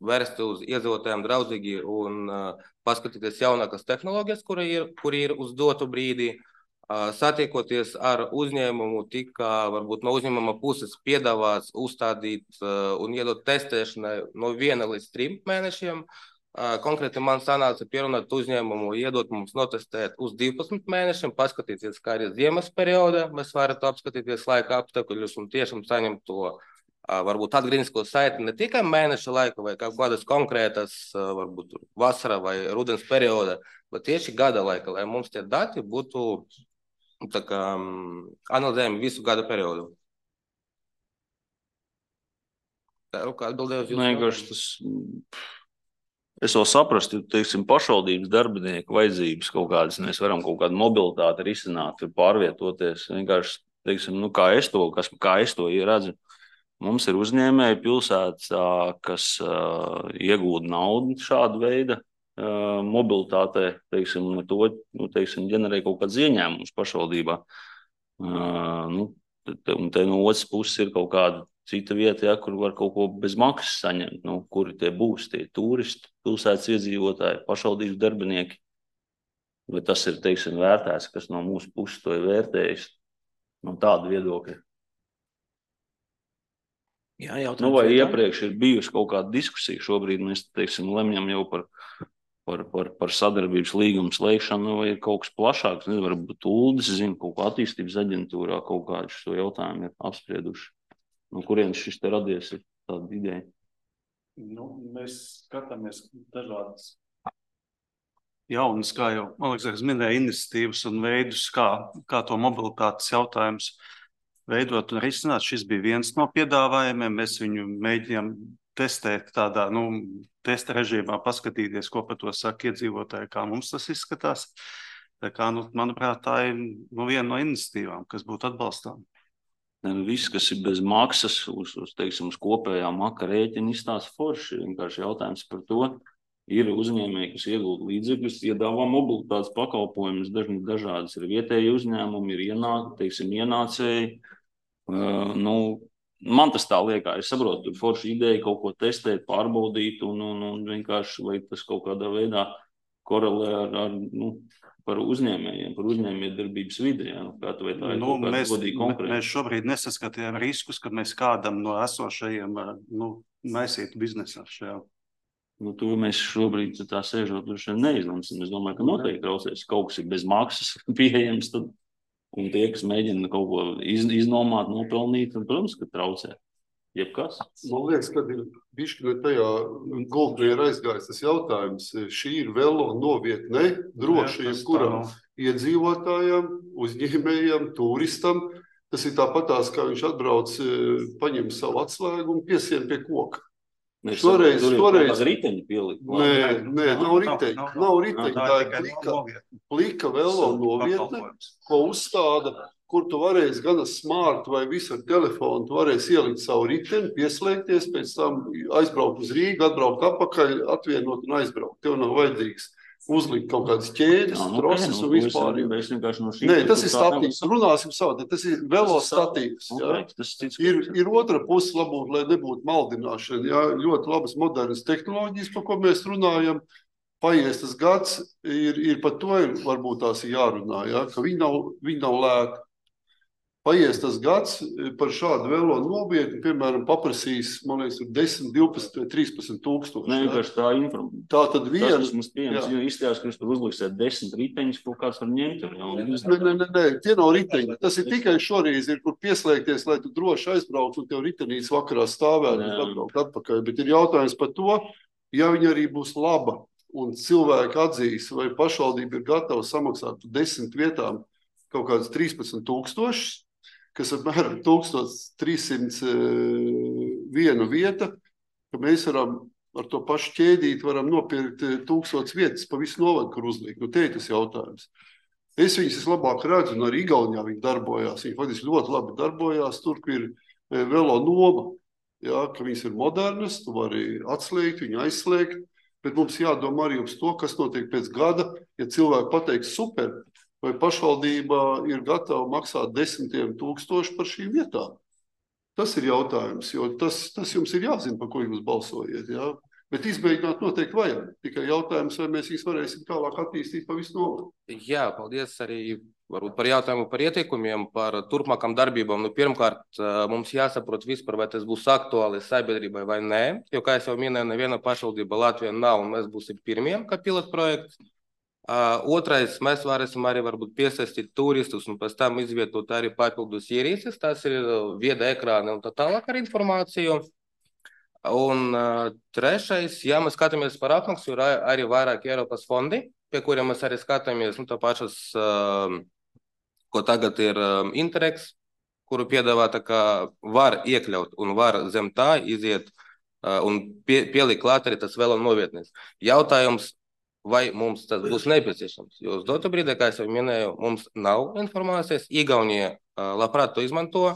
vērsti uz iedzīvotājiem draudzīgi un paskatīties jaunākas tehnoloģijas, kuri ir uz dotu brīdi. Satiekoties ar uzņēmumu, tika varbūt no uzņēmuma puses piedāvāts uzstādīt un iedot testēšanai no 1 līdz 3 mēnešiem. Konkrēti man sanāca pierunāt uzņēmumu, iedot mums notestēt uz 12 mēnešiem, paskatīties, kā ir ziemas perioda, mēs varētu apskatīties laika apstākļus un tiešām saņemt to varbūt atgrieznisko saiti ne tikai mēneša laika vai kādas konkrētas, varbūt vasara vai rudens perioda, bet tieši gada laika, lai mums tie dati būtu tā kā analizējami visu gada periodu. Kā atbildēju uz jūsu jautājumu? Es vēl saprastu, teiksim, pašvaldības darbinieku vajadzības kaut kādas, mēs varam kaut kādu mobilitāti risināt, pārvietoties. Vienkārši, teiksim, kā es to redzu. Mums ir uzņēmēji pilsētas, kas iegūda naudu šādu veidu mobilitātē, teiksim, to, teiksim, ģenerē kaut kāds ieņēmums pašvaldībā. Un te no otras puses ir kaut kāda cita vieta, kur var kaut ko bez maksas saņemt. Kuri tie būs, tie turisti, pilsētas iedzīvotāji, pašvaldības darbinieki. Vai tas ir, teiksim, vērtēts, kas no mūsu puses to ir vērtējis? No tāda viedokļa. Jā, jautājums. Vai iepriekš ir bijusi kaut kāda diskusija? Šobrīd mēs, teiksim, lemjam jau par sadarbības līgumu slēgšanu, vai ir kaut kas plašāks? Varbūt Uldis zina, kaut kā attīstības aģentūrā kaut kādu šo jautājumu ir apsprieduši. No kurienes šis te radies ir tāda ideja? Mēs skatāmies dažādas jaunas, kā jau Aleksandrs minēja, iniciatīvas un veidus, kā to mobilitātes jautājums veidot un risināt. Šis bija viens no piedāvājumiem. Mēs viņu mēģinām testēt tādā testa režīmā, paskatīties, ko par to saka iedzīvotāji, kā mums tas izskatās. Tā kā, manuprāt, tā ir viena no iniciatīvām, kas būtu atbalstām. Viss, kas ir bez maksas, teiksim, uz kopējā maka rēķina izstāsta forši. Vienkārši jautājums par to. Ir uzņēmēji, kas iegūda līdzekļus, piedāvā mobilitātes pakalpojumus, dažādas ir vietēji uzņēmumi, ir ienācēji. Man tas tā liekas, es saprotu, tur forši ideja kaut ko testēt, pārbaudīt un vienkārši, lai tas kaut kādā veidā korelē ar par uzņēmējiem, par uzņēmējdarbības vidi. Kā tu vai tā ir kaut kāda godīga konkrēta? Mēs šobrīd nesaskatījām riskus, ka mēs kādam no esošajiem maisītu biznesā šajā. To mēs šobrīd tā sēžot neizlemsim. Es domāju, ka noteikti traucēs. Kaut kas ir bez maksas pieejams, tad, un tie, kas mēģina kaut ko iznomāt, nopelnīt, tad, protams, ka traucē. Jebkas. Man liekas, kad ir bišķi no tajā gultnē ir aizgājis tas jautājums. Šī ir velo novietne, droši jebkuram iedzīvotājam, uzņēmējam, turistam. Tas ir tāpatās, kā viņš atbrauc, paņem savu atslēgu un piesien pie koka. Toreiz riteņi pielikt. Nē, nav riteņi. Tā ir plika velo novietne, ko uzstāda, kur tu varēsi gan smart vai visu ar telefonu, tu varēsi ielikt savu riteni, pieslēgties, pēc tam aizbraukt uz Rīgu, atbraukt atpakaļ, atvienot un aizbraukt. Tev nav vajadzīgs uzlikt kaut kādas ķēdes, trosis un vispār. Nē, tas ir statīvs. Runāsim savādāk. Tas ir velo statīvs. Ir otra puse labot, lai nebūtu maldināšana. Jā, ļoti labas modernas tehnoloģijas, par ko mēs runājam. Paies tas gads, ir par to varbūt tās jārunā, jā, ka viņi nav lēti. paies tas gads par šādu velo novietni, piemēram, paprasīs, man liekas, 10, 12 vai 13 tūkstoši. Ne, vienkārši tā informācija. Tā tad viena. Tas, kas mums pieejams, jo izstājās, ka jūs tur uzliksiet 10 riteņus, kaut kāds var ņemt. Nē, tie nav riteņi. Tas ir tikai šoreiz, ir kur pieslēgties, lai tu droši aizbrauc un tev ritenīts vakarā stāvēt un atbraukt atpakaļ. Bet ir jautājums par to, ja viņa arī būs laba un cilvēki atzīs, vai pašvaldība ir gatava samaksāt 10 vietām kaut kādas 13 tūkstošus, kas apmēram 1300 viena vieta, ka mēs varam ar to pašu ķēdīt, varam nopirkt 1000 vietas pa visu novadu, kur uzliek. Nu, te ir tas jautājums. Es viņas vislabāk redzu, un arī Igaunijā viņi darbojās. Viņi faktiski ļoti labi darbojās, tur, kur ir velo noma, ja, ka viņas ir modernas, tu vari atslēgt, viņu aizslēgt, bet mums jādomā arī uz to, kas notiek pēc gada, ja cilvēki pateiks super, vai pašvaldība ir gatava maksāt 10 000 par šīm vietām. Tas ir jautājums, jo tas jums ir jāzina, par ko jūs balsojiet. Ja? Bet izmēģināt noteikti vajag. Tikai jautājums, vai mēs viņus varēsim tālāk attīstīt pa visu novadu. Jā, paldies arī varbūt par jautājumu par ieteikumiem, par turpmākām darbībām. Nu, pirmkārt, mums jāsaprot vispār, vai tas būs aktuāli sabiedrībai vai nē. Jo, kā es jau minēju, neviena pašvaldība Latvijā nav, un mēs būsim pirmie, kā pilotprojekts. Otrais, mēs varēsim arī varbūt piesaistīt turistus un pēc tam izvietot arī papildus ierīces, tas ir vieda ekrāni un tā tālāk ar informāciju. Un trešais, ja mēs skatāmies par apmaksu, ir arī vairāk Eiropas fondi, pie kuriem mēs arī skatāmies, nu tā pašas, ko tagad ir Interregs, kuru piedāvā tā kā var iekļaut un var zem tā iziet un pielikt klāt arī tas velo novietnes. Jautājums, vai mums tas būs nepieciešams. Jo uz dotu brīdī, kā es jau minēju, mums nav informācijas. Igaunija labprāt to izmanto.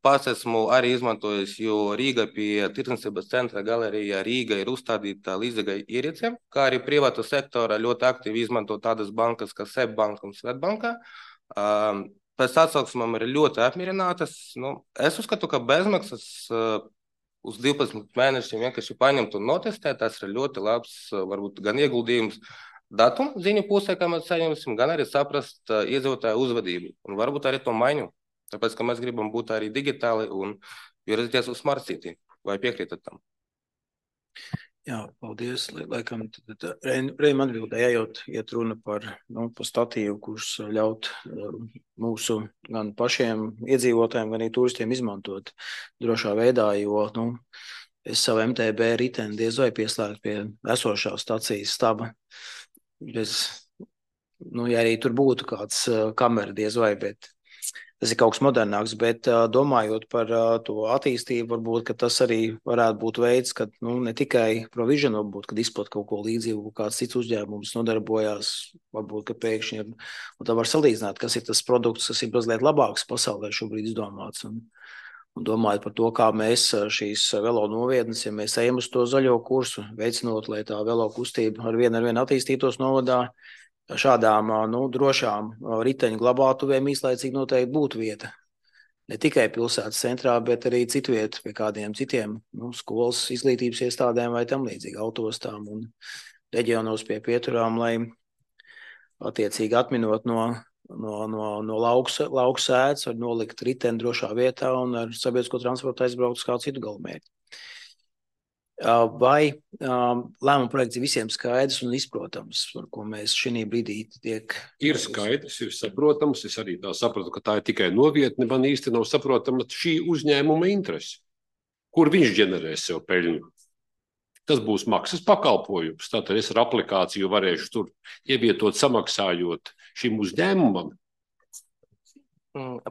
Pats esmu arī izmantojis, jo Rīga pie tirdzniecības centra galerijā Rīga ir uzstādīta līdzīga ierīce, kā arī privātu sektora ļoti aktīvi izmanto tādas bankas, kā SEB banka un Svetbanka. Pēc atsauksmēm ir ļoti apmierinātas. Nu, es uzskatu, ka bezmaksas uz 12 mēnešiem vienkārši paņemt un notestēt, tas ir ļoti labs, varbūt gan ieguldījums datumu ziņu pusē, kā mēs saņemsim, gan arī saprast iedzīvotāju uzvedību un varbūt arī to maiņu, tāpēc, ka mēs gribam būt arī digitāli un virzīties uz Smart City. Vai piekrītat tam? Jā, paldies. Laikam, Reim atbildēja, iet runa par statīvu, kurš ļaut mūsu gan pašiem iedzīvotājiem, gan arī turistiem izmantot drošā veidā, jo es savu MTB riteni diez vai pieslēgt pie esošā stacijas staba. Ja arī tur būtu kāds kamera diez vai, bet tas ir kaut kas modernāks, bet domājot par to attīstību, varbūt, ka tas arī varētu būt veids, kad ne tikai Provision, varbūt, kad izplat kaut ko līdzīgu, kāds cits uzņēmums nodarbojās, varbūt, ka pēkšņi ir, un tā var salīdzināt, kas ir tas produkts, kas ir mazliet labāks pasaulē šobrīd izdomāts, un domājot par to, kā mēs šīs velo novietnes, ja mēs ejam uz to zaļo kursu, veicinot, lai tā velo kustība ar vien attīstītos novadā, šādām drošām riteņu glabātuvēm īslaicīgi noteikti būtu vieta. Ne tikai pilsētas centrā, bet arī citviet pie kādiem citiem skolas izglītības iestādēm vai tam līdzīgi autostām un reģionos pie pieturām, lai attiecīgi atminot no lauku sēdes var nolikt riteni drošā vietā un ar sabiedrisko transportu aizbraukt uz kādu citu galamērķi. Vai lēmuma projekts ir visiem skaidrs un izprotams, par ko mēs šī brīdī tiek... Ir skaidrs, ir saprotams. Es arī tā sapratu, ka tā ir tikai novietne. Man īsti nav saprotama šī uzņēmuma interese. Kur viņš ģenerēs sev peļņu? Tas būs maksas pakalpojums. Tātad es ar aplikāciju varēšu tur ievietot samaksājot šim uzņēmumam.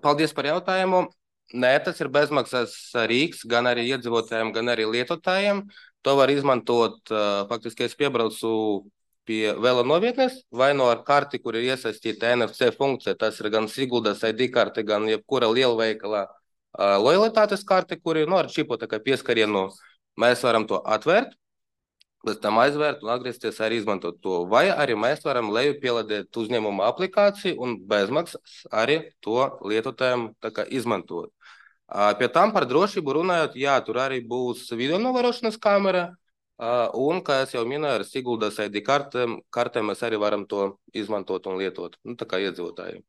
Paldies par jautājumu. Nē, tas ir bezmaksas rīks gan arī iedzīvotājiem, gan arī lietotājiem. To var izmantot, faktiski es piebraucu pie velo novietnes, vai no ar karti, kur ir iesaistīta NFC funkcija. Tas ir gan Siguldas ID karte, gan jebkura lielveikala lojalitātes karte, kur ir ar čipu pieskarienu. Mēs varam to atvērt, pēc tam aizvērt un atgriezties arī izmantot to. Vai arī mēs varam leju pielādēt uzņēmuma aplikāciju un bezmaksas arī to lietotājiem izmantot. Pie tam par drošību runājot, jā, tur arī būs video novērošanas kamera, un, kā es jau minēju, ar Siguldas ID kartēm mēs arī varam to izmantot un lietot, tā kā iedzīvotājiem.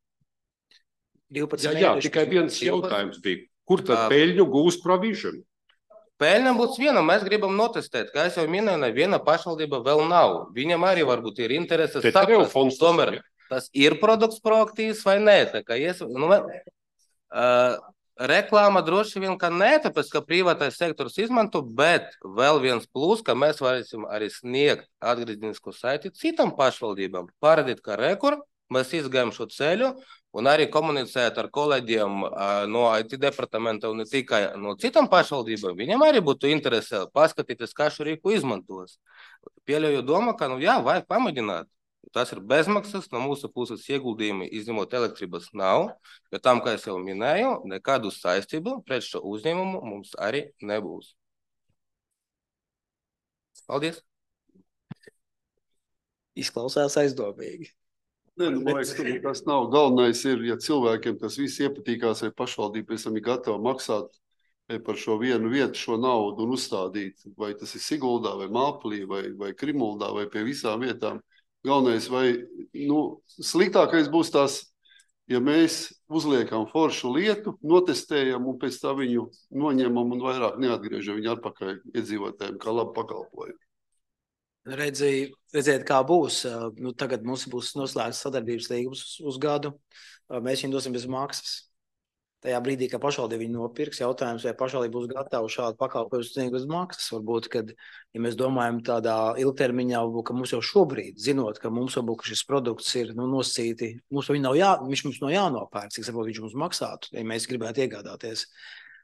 12 Jā, mēneši. tikai viens jautājums bija. Kur tad peļņu gūs Provision? Peļņa būs viena, mēs gribam notestēt, kā es jau minēju, neviena pašvaldība vēl nav. Viņam arī varbūt ir intereses saprast, tomēr tas ir produkts proaktīvs vai nē. Tā kā reklāma droši vien, ka nē, tāpēc, ka privātais sektors izmanto, bet vēl viens plus, ka mēs varēsim arī sniegt atgriezenisko saiti citam pašvaldībām. Parādīt, ka mēs izgājam šo ceļu un arī komunicēt ar kolēģiem no IT departamenta un ne tikai no citam pašvaldībām. Viņam arī būtu interese paskatīties, kā šo rīku izmantos. Pieļauju domu, ka, vajag pamēģināt. Tas ir bezmaksas, no mūsu puses ieguldījumi, izņemot elektrības nav, bet tam, kā es jau minēju, nekādu saistību pret šo uzņēmumu mums arī nebūs. Paldies! Izklausās aizdomīgi. Man liekas, tas nav galvenais ir, ja cilvēkiem tas viss iepatīkās, vai pašvaldība pēc tam ir gatava maksāt par šo vienu vietu, šo naudu un uzstādīt, vai tas ir Siguldā, vai Māpulī, vai Krimuldā, vai pie visām vietām. Galvenais, vai sliktākais būs tās, ja mēs uzliekam foršu lietu, notestējam un pēc tā viņu noņemam un vairāk neatgriežam viņu atpakaļ iedzīvotājiem kā labu pakalpojumu. Redziet, kā būs. Tagad mums būs noslēgts sadarbības līgums uz gadu. Mēs viņu dosim bez maksas. Tajā brīdī, kad pašvaldība viņu nopirks, jautājums, vai pašvaldība būs gatava šādu pakalpojumu sniegt bez maksas. Varbūt, kad, ja mēs domājam tādā ilgtermiņā, ka mums jau šobrīd, zinot, ka mums varbūt šis produkts ir nosacīti, viņš mums nav jānopērk, cik saprot, viņš mums maksātu, ja mēs gribētu iegādāties.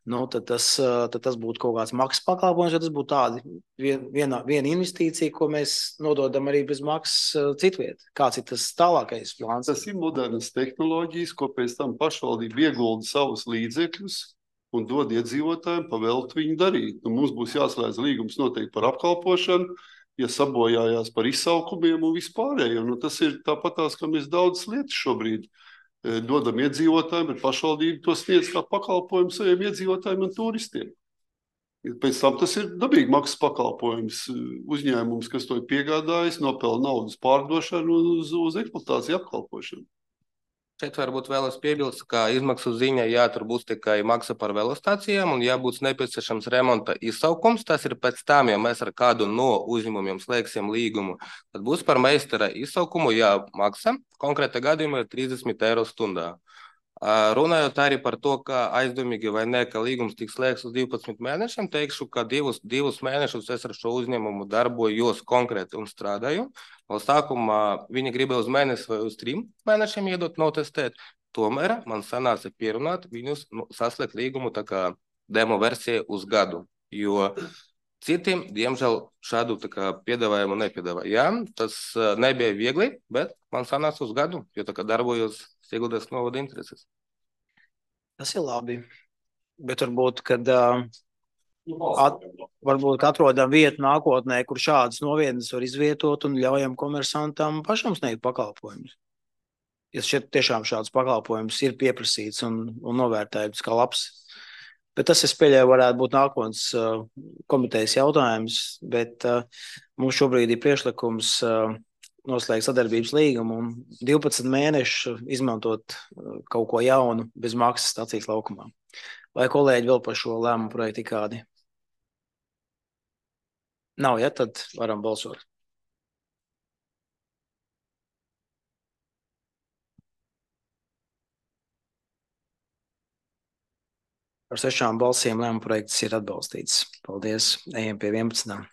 Tad tas būtu kaut kāds maksas pakalpojums, ja tas būtu tāda viena investīcija, ko mēs nododam arī bez maksas citviet. Kāds ir tas tālākais plāns? Tas ir modernas tehnoloģijas, ko pēc tam pašvaldība iegulda savus līdzekļus un dod iedzīvotājiem pavēlt viņu darīt. Mums būs jāslēdz līgums noteikti par apkalpošanu, ja sabojājās par izsaukumiem un vispārējo. Tas ir tāpatās, ka mēs daudz lietas šobrīd dodam iedzīvotājiem, bet pašvaldība to sniedz kā pakalpojumu saviem iedzīvotājiem un turistiem. Pēc tam tas ir dabīgi maksas pakalpojums. Uzņēmums, kas to ir piegādājis, nopelna naudas pārdošanu uz eksploatāciju apkalpošanu. Šeit varbūt vēlas piebilst, ka izmaksu ziņā tur būs tikai maksa par velostācijām un būs nepieciešams remonta izsaukums. Tas ir pēc tam, ja mēs ar kādu no uzņēmumiem slēgsim līgumu, tad būs par meistara izsaukumu jāmaksa. Konkrēta gadījumā ir 30 eiro stundā. Runājot arī par to, ka aizdomīgi vai ne, ka līgums tiks slēgts uz 12 mēnešiem, teikšu, ka divus mēnešus es ar šo uzņēmumu darbojos konkrēti un strādāju. No sākumā viņi gribēja uz mēnesi vai uz 3 mēnešiem iedot notestēt, tomēr man sanāca pierunāt viņus saslēgt līgumu tā kā demo versija uz gadu, jo citiem, diemžēl, šādu tā kā piedāvājumu nepiedāvāja. Jā, tas nebija viegli, bet man sanāca uz gadu, jo tā kā darbojos Siguldas novada intereses. Tas ir labi, bet varbūt, kad varbūt atrodam vietu nākotnē, kur šādas novietnes var izvietot un ļaujam komersantam pašam sniegt pakalpojumus. Ja šeit tiešām šāds pakalpojums ir pieprasīts un novērtējums kā labs. Bet tas, es pieļauju, varētu būt nākotnes komitejas jautājums, bet mums šobrīd ir priekšlikums noslēgt sadarbības līgumu un 12 mēnešu izmantot kaut ko jaunu bez maksas stacijas laukumā. Vai kolēģi vēl par šo lēmumu projektu kādi? Nav, ja? Tad varam balsot. Ar 6 balsīm lēmuma projekts ir atbalstīts. Paldies. Ejam pie 11.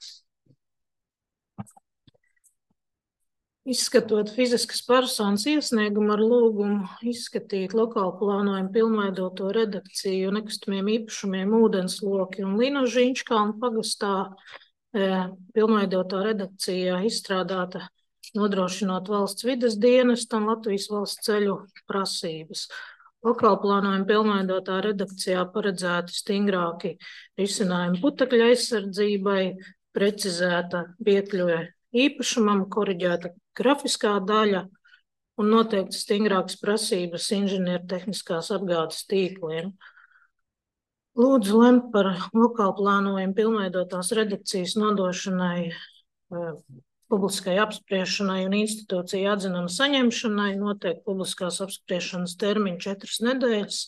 Izskatot fiziskas personas iesniegumu ar lūgumu izskatīt lokālu plānojumu pilnveidoto redakciju nekustamiem īpašumiem ūdensloki un Līnožu Inčkalnu pagastā pilnveidotā redakcija izstrādāta nodrošinot valsts vides dienestu un Latvijas valsts ceļu prasības. Lokālu plānojumu pilnveidotā redakcijā paredzēti stingrāki risinājumi putekļu aizsardzībai, precizēta piekļuve īpašumam, koriģēta grafiskā daļa un noteikti stingrākas prasības inženiertehniskās apgādes tīkliem. Lūdzu lemt par lokālu plānojumu pilnveidotās redakcijas nodošanai publiskai apspriešanai un institūcija atzinuma saņemšanai notiek publiskās apspriešanas termiņu 4 nedēļas,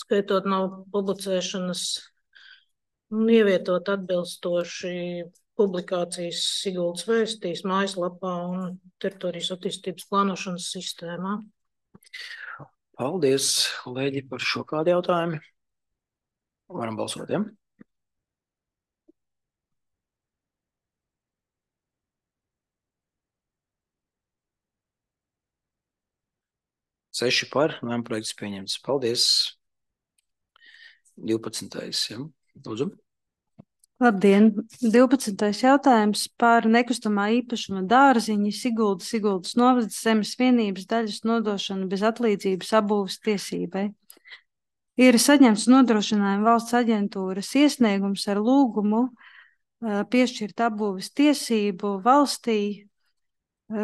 skaitot no publicēšanas un ievietot atbilstoši publikācijas Siguldas vēstīs mājaslapā un teritorijas attīstības plānošanas sistēmā. Paldies, kolēģi, par šo kādu jautājumu. Varam balsot, ja? Seši par, lēmuma projekts pieņemts. Paldies. 12. Ja? Lūdzu. Labdien! 12. jautājums par nekustamā īpašuma dārziņu Siguldas novadas zemes vienības daļas nodošanu bez atlīdzības apbūves tiesībai. Ir saņemts nodrošinājuma valsts aģentūras iesniegums ar lūgumu piešķirt apbūves tiesību valstī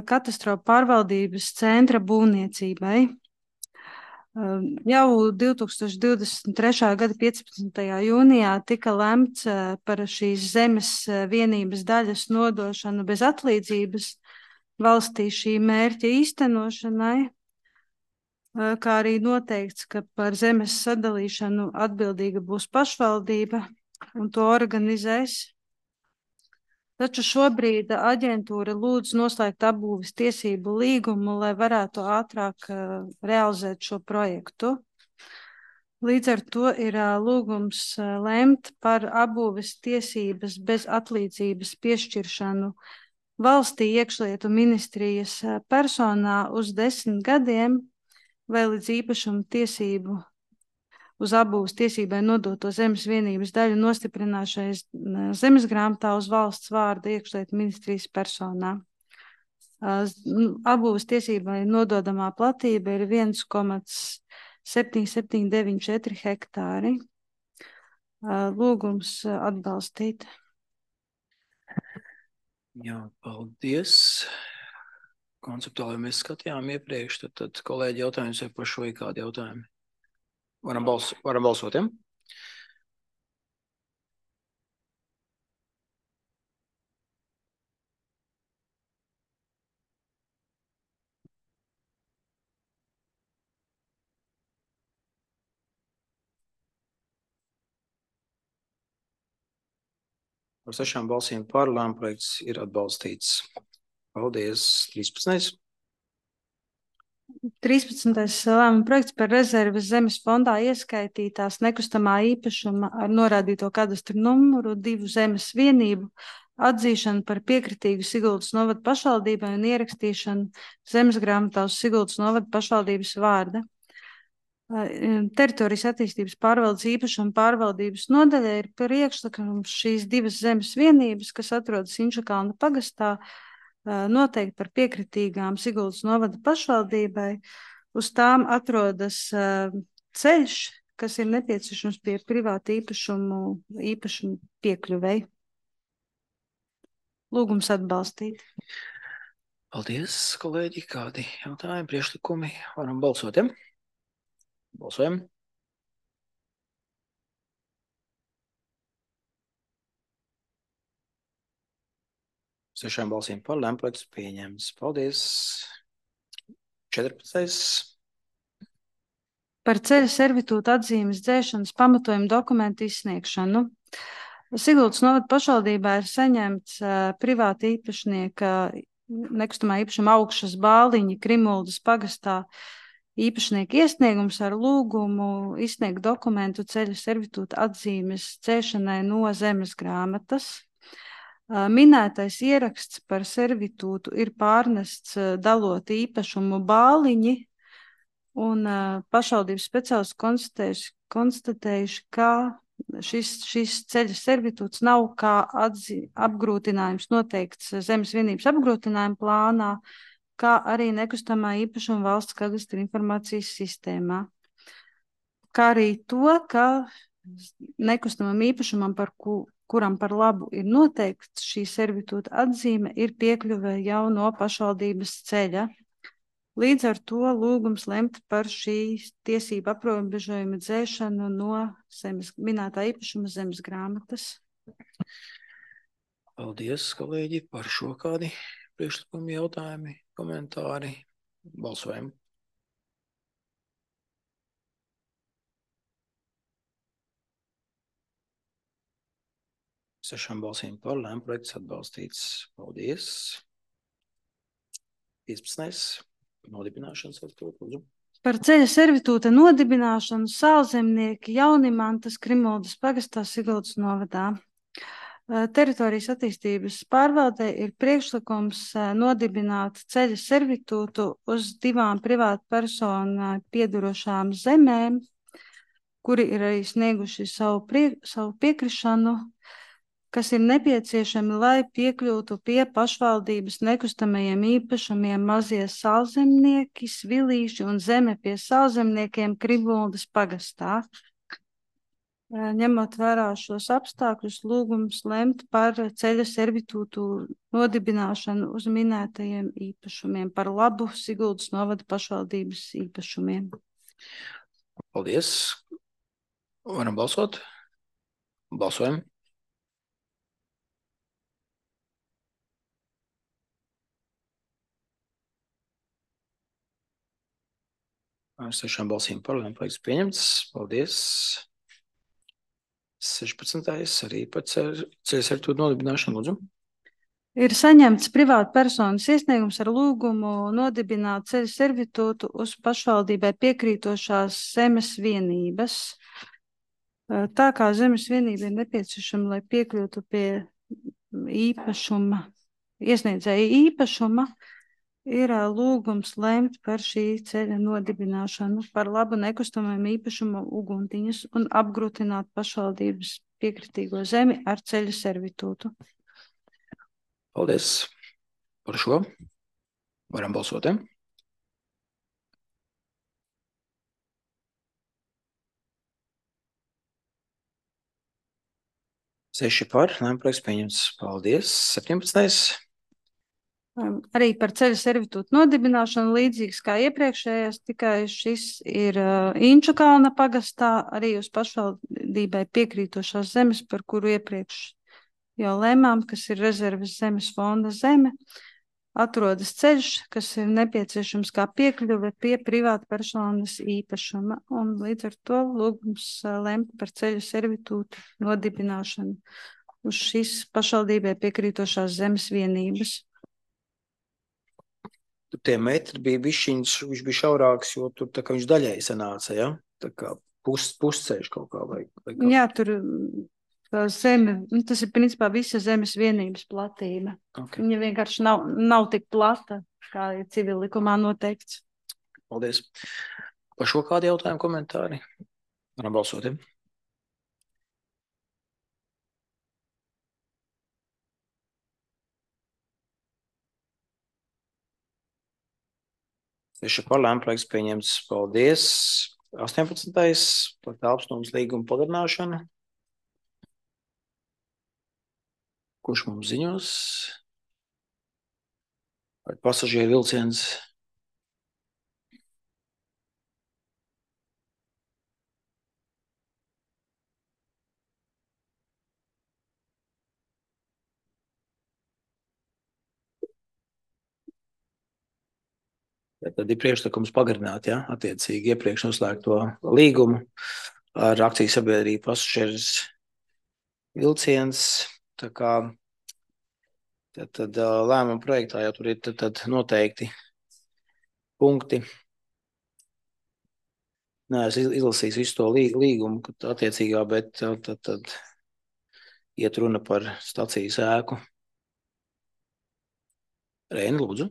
katastrofu pārvaldības centra būvniecībai. Jau 2023. gada 15. jūnijā tika lemts par šīs zemes vienības daļas nodošanu bez atlīdzības valstī šī mērķa īstenošanai, kā arī noteikts, ka par zemes sadalīšanu atbildīga būs pašvaldība un to organizēs. Taču šobrīd aģentūra lūdz noslēgt apbūves tiesību līgumu, lai varētu ātrāk realizēt šo projektu. Līdz ar to ir lūgums lemt par apbūves tiesības bez atlīdzības piešķiršanu valstī iekšlietu ministrijas personā uz 10 gadiem vai līdz īpašuma tiesību uz apbūves tiesībai nodoto zemes vienības daļu nostiprināšais zemes grāmatā uz valsts vārda iekšlietu ministrijas personā. Apbūves tiesībai nododamā platība ir 1,7794 hektāri. Lūgums atbalstīt. Jā, paldies. Konceptuāli mēs skatījām iepriekš, tad kolēģi jautājums vai par šo ir kādi jautājumi? Varam balsot, ja? Par 6 balsīm par lēmuma projekts ir atbalstīts. Paldies. 13. 13. lēmuma projekts par rezerves zemes fondā ieskaitītās nekustamā īpašuma ar norādīto kadastru numuru 2 zemes vienību atzīšanu par piekritīgu Siguldas novada pašvaldībai un ierakstīšanu zemes grāmatā uz Siguldas novada pašvaldības vārda. Teritorijas attīstības pārvaldes īpašuma pārvaldības nodaļa ir priekšlikums šīs 2 zemes vienības, kas atrodas Inčakalna pagastā, noteikti par piekritīgām Siguldas novada pašvaldībai. Uz tām atrodas ceļš, kas ir nepieciešams pie privāta īpašumu piekļuvei. Lūgums atbalstīt. Paldies, kolēģi. Kādi jautājumi, priekšlikumi? Varam balsot, ja? Balsojam. Sešām balsīm par lēmuma projekts pieņemts. Paldies. 14. Par ceļa servitūta atzīmes dzēšanas pamatojumu dokumentu izsniegšanu. Siguldas novada pašvaldībā ir saņemts privāta īpašnieka nekustamā īpašuma Augšas Bāliņa Krimuldas pagastā īpašnieka iesniegums ar lūgumu izsniegt dokumentu ceļa servitūta atzīmes dzēšanai no zemes grāmatas. Minētais ieraksts par servitūtu ir pārnests dalot īpašumu Bāliņi, un pašvaldības speciālisti konstatējuši, ka šis ceļa servitūts nav kā apgrūtinājums noteikts zemes vienības apgrūtinājuma plānā, kā arī nekustamā īpašuma valsts kadastra informācijas sistēmā. Kā arī to, ka nekustamam īpašumam, kuram par labu ir noteikts šī servitūta atzīme, ir piekļuve jau no pašvaldības ceļa. Līdz ar to lūgums lemt par šī tiesību aprobežojuma dzēšanu no minētā īpašuma zemes grāmatas. Paldies, kolēģi, par šo kādi priekšlikumi, jautājumi, komentāri, balsojam. Sešām balsīm par, lēmprojekts atbalstīts. Paldies. 15. Nodibināšana servitūta, lūdzu. Par ceļa servitūta nodibināšanu Sālzemnieki Jaunimantas Krimuldas pagastā Siguldas novadā. Teritorijas attīstības pārvaldē ir priekšlikums nodibināt ceļa servitūtu uz 2 privātu personu piedarošām zemēm, kuri ir arī snieguši savu piekrišanu, kas ir nepieciešami, lai piekļūtu pie pašvaldības nekustamajiem īpašumiem mazie Sālzemnieki, Svilīši un zeme pie Sālzemniekiem Krimuldas pagastā. Ņemot vērā šos apstākļus, lūgums lemt par ceļa servitūtu nodibināšanu uz minētajiem īpašumiem par labu Siguldas novada pašvaldības īpašumiem. Paldies. Varam balsot? Balsojam. Ar 6 balsīm par, lēmprojekts pieņemts. Paldies. 16. arī par ceļa servitūtu nodibināšanu, lūdzu. Ir saņemts privāta personas iesniegums ar lūgumu nodibināt ceļa servitūtu uz pašvaldībai piekrītošās zemes vienības. Tā kā zemes vienība ir nepieciešama, lai piekļūtu pie īpašuma, iesniedzēja īpašuma, ir lūgums lemt par šī ceļa nodibināšanu par labu nekustamajam īpašumu uguntiņas un apgrūtināt pašvaldības piekritīgo zemi ar ceļa servitūtu. Paldies par šo. Varam balsot, ja? Seši par, lēmprojekts pieņemts. Paldies. 17. Arī par ceļa servitūtu nodibināšanu līdzīgs kā iepriekšējais, tikai šis ir Inču kalna pagastā, arī uz pašvaldībai piekrītošās zemes, par kuru iepriekš jau lēmām, kas ir rezerves zemes fonda zeme. Atrodas ceļš, kas ir nepieciešams kā piekļuve pie privāta personas īpašuma, un līdz ar to lūgums lemt par ceļa servitūtu nodibināšanu uz šīs pašvaldībai piekrītošās zemes vienības. Tur tie metri bija bišķiņš, viņš bija šaurāks, jo tur tā kā viņš daļai sanāca, ja? Tā kā pusceļš kaut kā vai kā. Jā, tur tā zeme, tas ir principā visa zemes vienības platība. Okay. Viņa vienkārši nav tik plata, kā ir civil likumā noteikts. Paldies. Par šo kādu jautājumu komentāri? Varam balsot, ja? Seši par, lēmprojekts pieņemts. Paldies. 18. par telpsnums līgumu pagarināšanu. Kurš mums ziņos? Par pasažieru vilciens. Tad ir priekšlikums pagarināt, ja, attiecīgi iepriekš noslēgto līgumu ar akciju sabiedrību pasažieris vilciens. Tā kā tad lēmuma projektā jau tur ir tad noteikti punkti. Nē, es izlasīju visu to līgumu, attiecīgā, bet tad iet runa par stacijas ēku. Reini, lūdzu.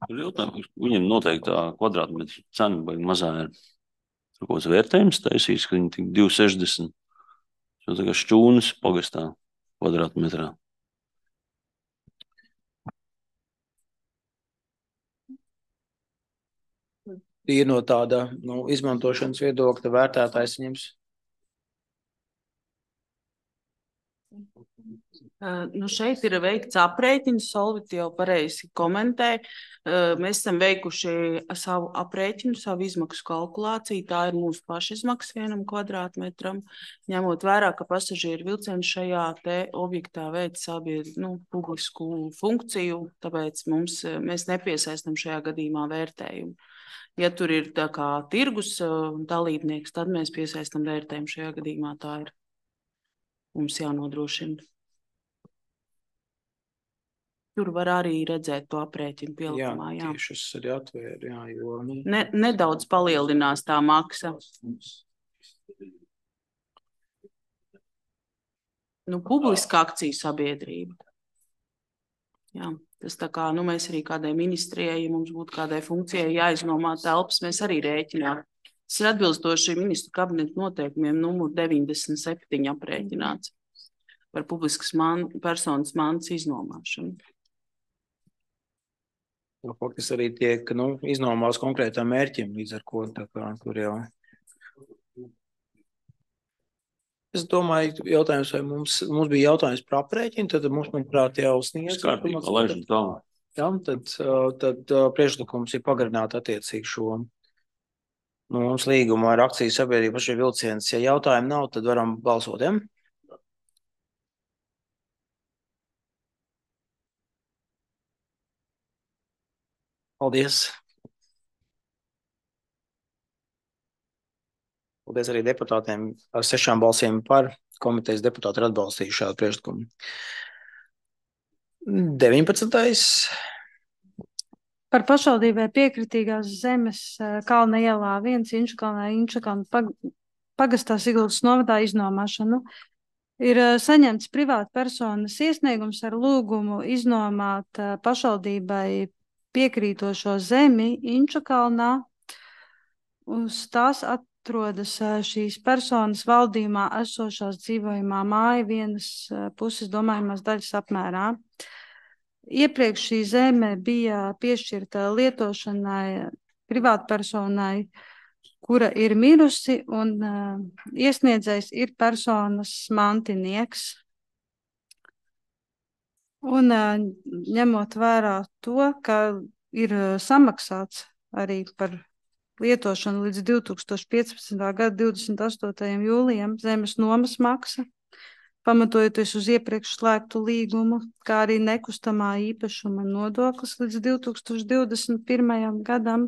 Tur jautājums, viņam noteikti tā kvadrātmetru cena vai mazā ir tur kaut kāds vērtējums taisīs, ka viņi tik 2,60. Tā kā šķūnas pagastā kvadrātmetrā. Ir no tāda izmantošanas viedokļa vērtētājs viņams. Šeit ir veikts aprēķins, Solvit jau pareizi komentē. Mēs esam veikuši savu aprēķinu, savu izmaksu kalkulāciju. Tā ir mūsu pašizmaksa 1 kvadrātmetram, ņemot vērā, ka pasažieru vilciens šajā te objektā veic publisku funkciju, tāpēc mēs nepiesaistam šajā gadījumā vērtējumu. Ja tur ir tā kā tirgus dalībnieks, tad mēs piesaistam vērtējumu. Šajā gadījumā tā ir mums jānodrošina. Tur var arī redzēt to aprēķinu pielikumā. Jā, tieši es arī atvēru, jā, jo... Nedaudz palielinās tā maksa. Publiska akciju sabiedrība. Jā, tas tā kā, mēs arī kādai ministrijai, ja mums būtu kādai funkcijai jāiznomā telpas, mēs arī rēķinām. Tas ir atbilstoši ministru kabineta noteikumiem numur 97 aprēķināts par publiskas personas mantas iznomāšanu. Faktiski arī tiek iznomās konkrētām mērķiem, līdz ar ko tā kā tur jau. Es domāju, jautājums, vai mums bija jautājums par aprēķinu, tad mums, manuprāt, jau sniedz. Skārtīgi, laižam tālāk. Jā, tad priekšlikums ir pagarināt attiecīgi šo mums līgumu ar akciju sabiedrību par šī vilciens. Ja jautājumu nav, tad varam balsot, ja? Paldies. Paldies arī deputātiem. Ar 6 balsīm par komitejas deputāti ir atbalstījuši šādu priekšlikumu. 19. Par pašvaldībai piekritīgās zemes Kalna ielā 1 Inčukalnā Inčukalna pagastā Siguldas novadā iznomāšanu. Ir saņemts privāta personas iesniegums ar lūgumu iznomāt pašvaldībai piekrītošo zemi Inčukalnā. Uz tās atrodas šīs personas valdījumā esošās dzīvojamā māja 1 puses domājumās daļas apmērā. Iepriekš šī zeme bija piešķirta lietošanai privātpersonai, kura ir mirusi, un iesniedzējs ir personas mantinieks. Un ņemot vērā to, ka ir samaksāts arī par lietošanu līdz 2015. gada 28. jūlijam zemes nomas maksa, pamatojoties uz iepriekš slēgtu līgumu, kā arī nekustamā īpašuma nodoklis līdz 2021. gadam,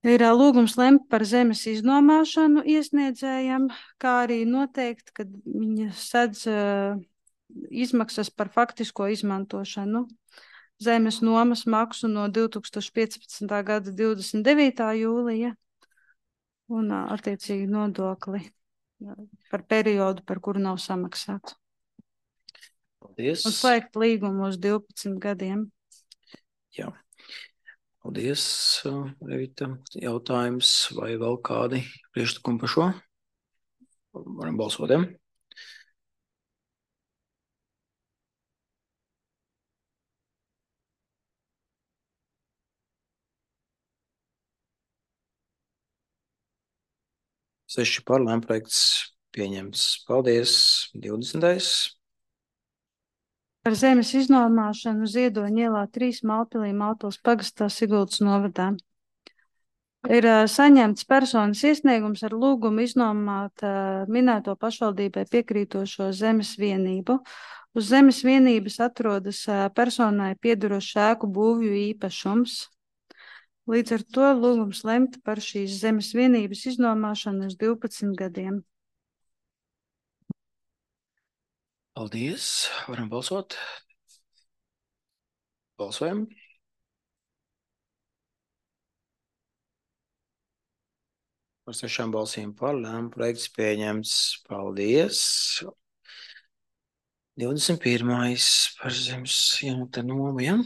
ir lūgums lemt par zemes iznomāšanu iesniedzējam, kā arī noteikt, ka viņa sedz izmaksas par faktisko izmantošanu, zemes nomas maksu no 2015. gada 29. jūlija un attiecīgi nodokli par periodu, par kuru nav samaksāts. Paldies. Un slēgt līgumu uz 12 gadiem. Jā. Paldies, Revita. Jautājums vai vēl kādi priekšlikumi par šo? Varam balsot, ja? Seši par, lēmprojekts pieņemts. Paldies. 20. Par zemes iznomāšanu Ziedoņa ielā 3 Malpilī Malpils pagastā Siguldas novadā. Ir saņemts personas iesniegums ar lūgumu iznomāt minēto pašvaldībai piekrītošo zemes vienību. Uz zemes vienības atrodas personai piedarošs ēku būvju īpašums. Līdz ar to lūgums lemt par šīs zemes vienības iznomāšanu uz 12 gadiem. Paldies. Varam balsot. Balsojam. Par 6 balsīm par, lēmprojekts pieņemts. Paldies. 21. par zemes nomu, ja?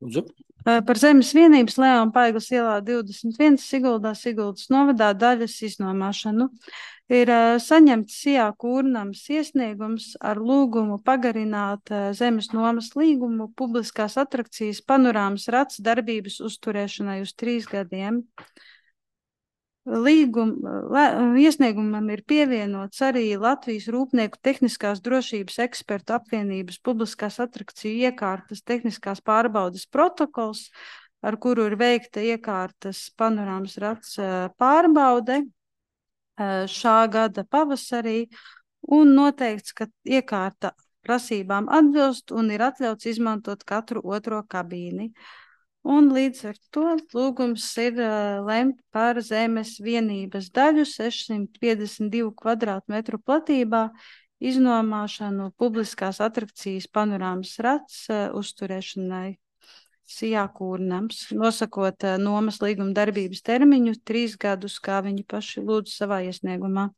Lūdzu. Par zemes vienības Leona Paiglas ielā 21 Siguldā Siguldas novadā daļas iznomāšanu. Ir saņemts Sijā Kūrnams iesniegums ar lūgumu pagarināt zemes nomas līgumu publiskās atrakcijas panorāmas rats darbības uzturēšanai uz 3 gadiem. Iesniegumam ir pievienots arī Latvijas Rūpnieku tehniskās drošības ekspertu apvienības publiskās atrakciju iekārtas tehniskās pārbaudes protokols, ar kuru ir veikta iekārtas panorāmas rats pārbaude šā gada pavasarī, un noteikts, ka iekārta prasībām atbilst un ir atļauts izmantot katru otro kabīni. Un līdz ar to lūgums ir lemt par zemes vienības daļu 652 kvadrātmetru platībā iznomāšanu publiskās atrakcijas panorāmas rats uzturēšanai Sijā Kūrnams, nosakot nomas līguma darbības termiņu 3 gadus, kā viņi paši lūdzu savā iesniegumā.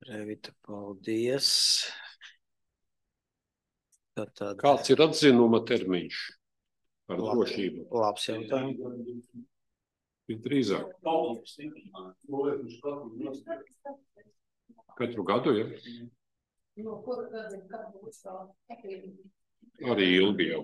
Revita, paldies. Tātad... Kāds ir atzinuma termiņš par drošību? Labs jautājums. Drīzāk. Katru gadu, ja? Arī ilgi jau.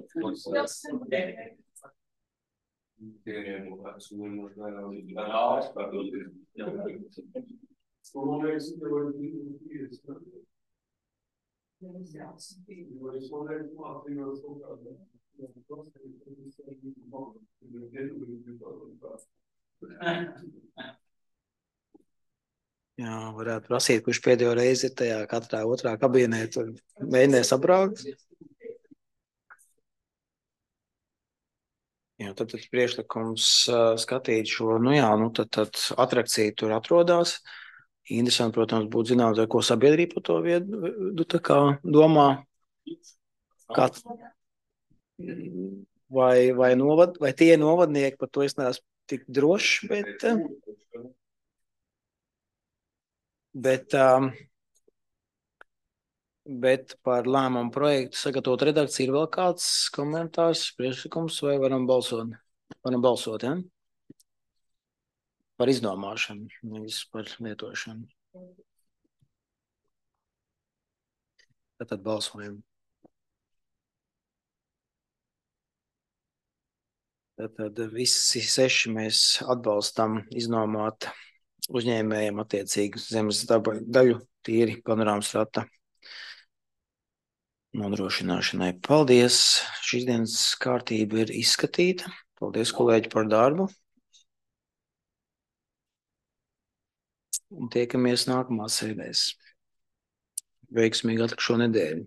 Jā, varētu prasīt, kurš pēdējo reizi ir tajā katrā otrā kabīnē, tur mēģinās apbraukt. Jā, tad priekšlikums skatīt šo, tad atrakcija tur atrodās. Interesanti, protams, būtu zināt, ko sabiedrība par to viedu tā kā domā. Vai tie novadnieki, par to es neesmu tik drošs, bet par lēmumu projektu sagatavot redakciju ir vēl kāds komentārs, priekšlikums, vai varam balsot? Varam balsot, ja? Par izdomāšanu, nevis par lietošanu. Tad balsojam. Tad visi 6 mēs atbalstam iznomāt uzņēmējiem attiecīgi zemes daļu tīri panorāmas rata nodrošināšanai. Paldies! Šīs dienas kārtība ir izskatīta. Paldies, kolēģi, par darbu. Un tiekamies nākamās sēdēs. Veiksmīgi atlikušo nedēļu.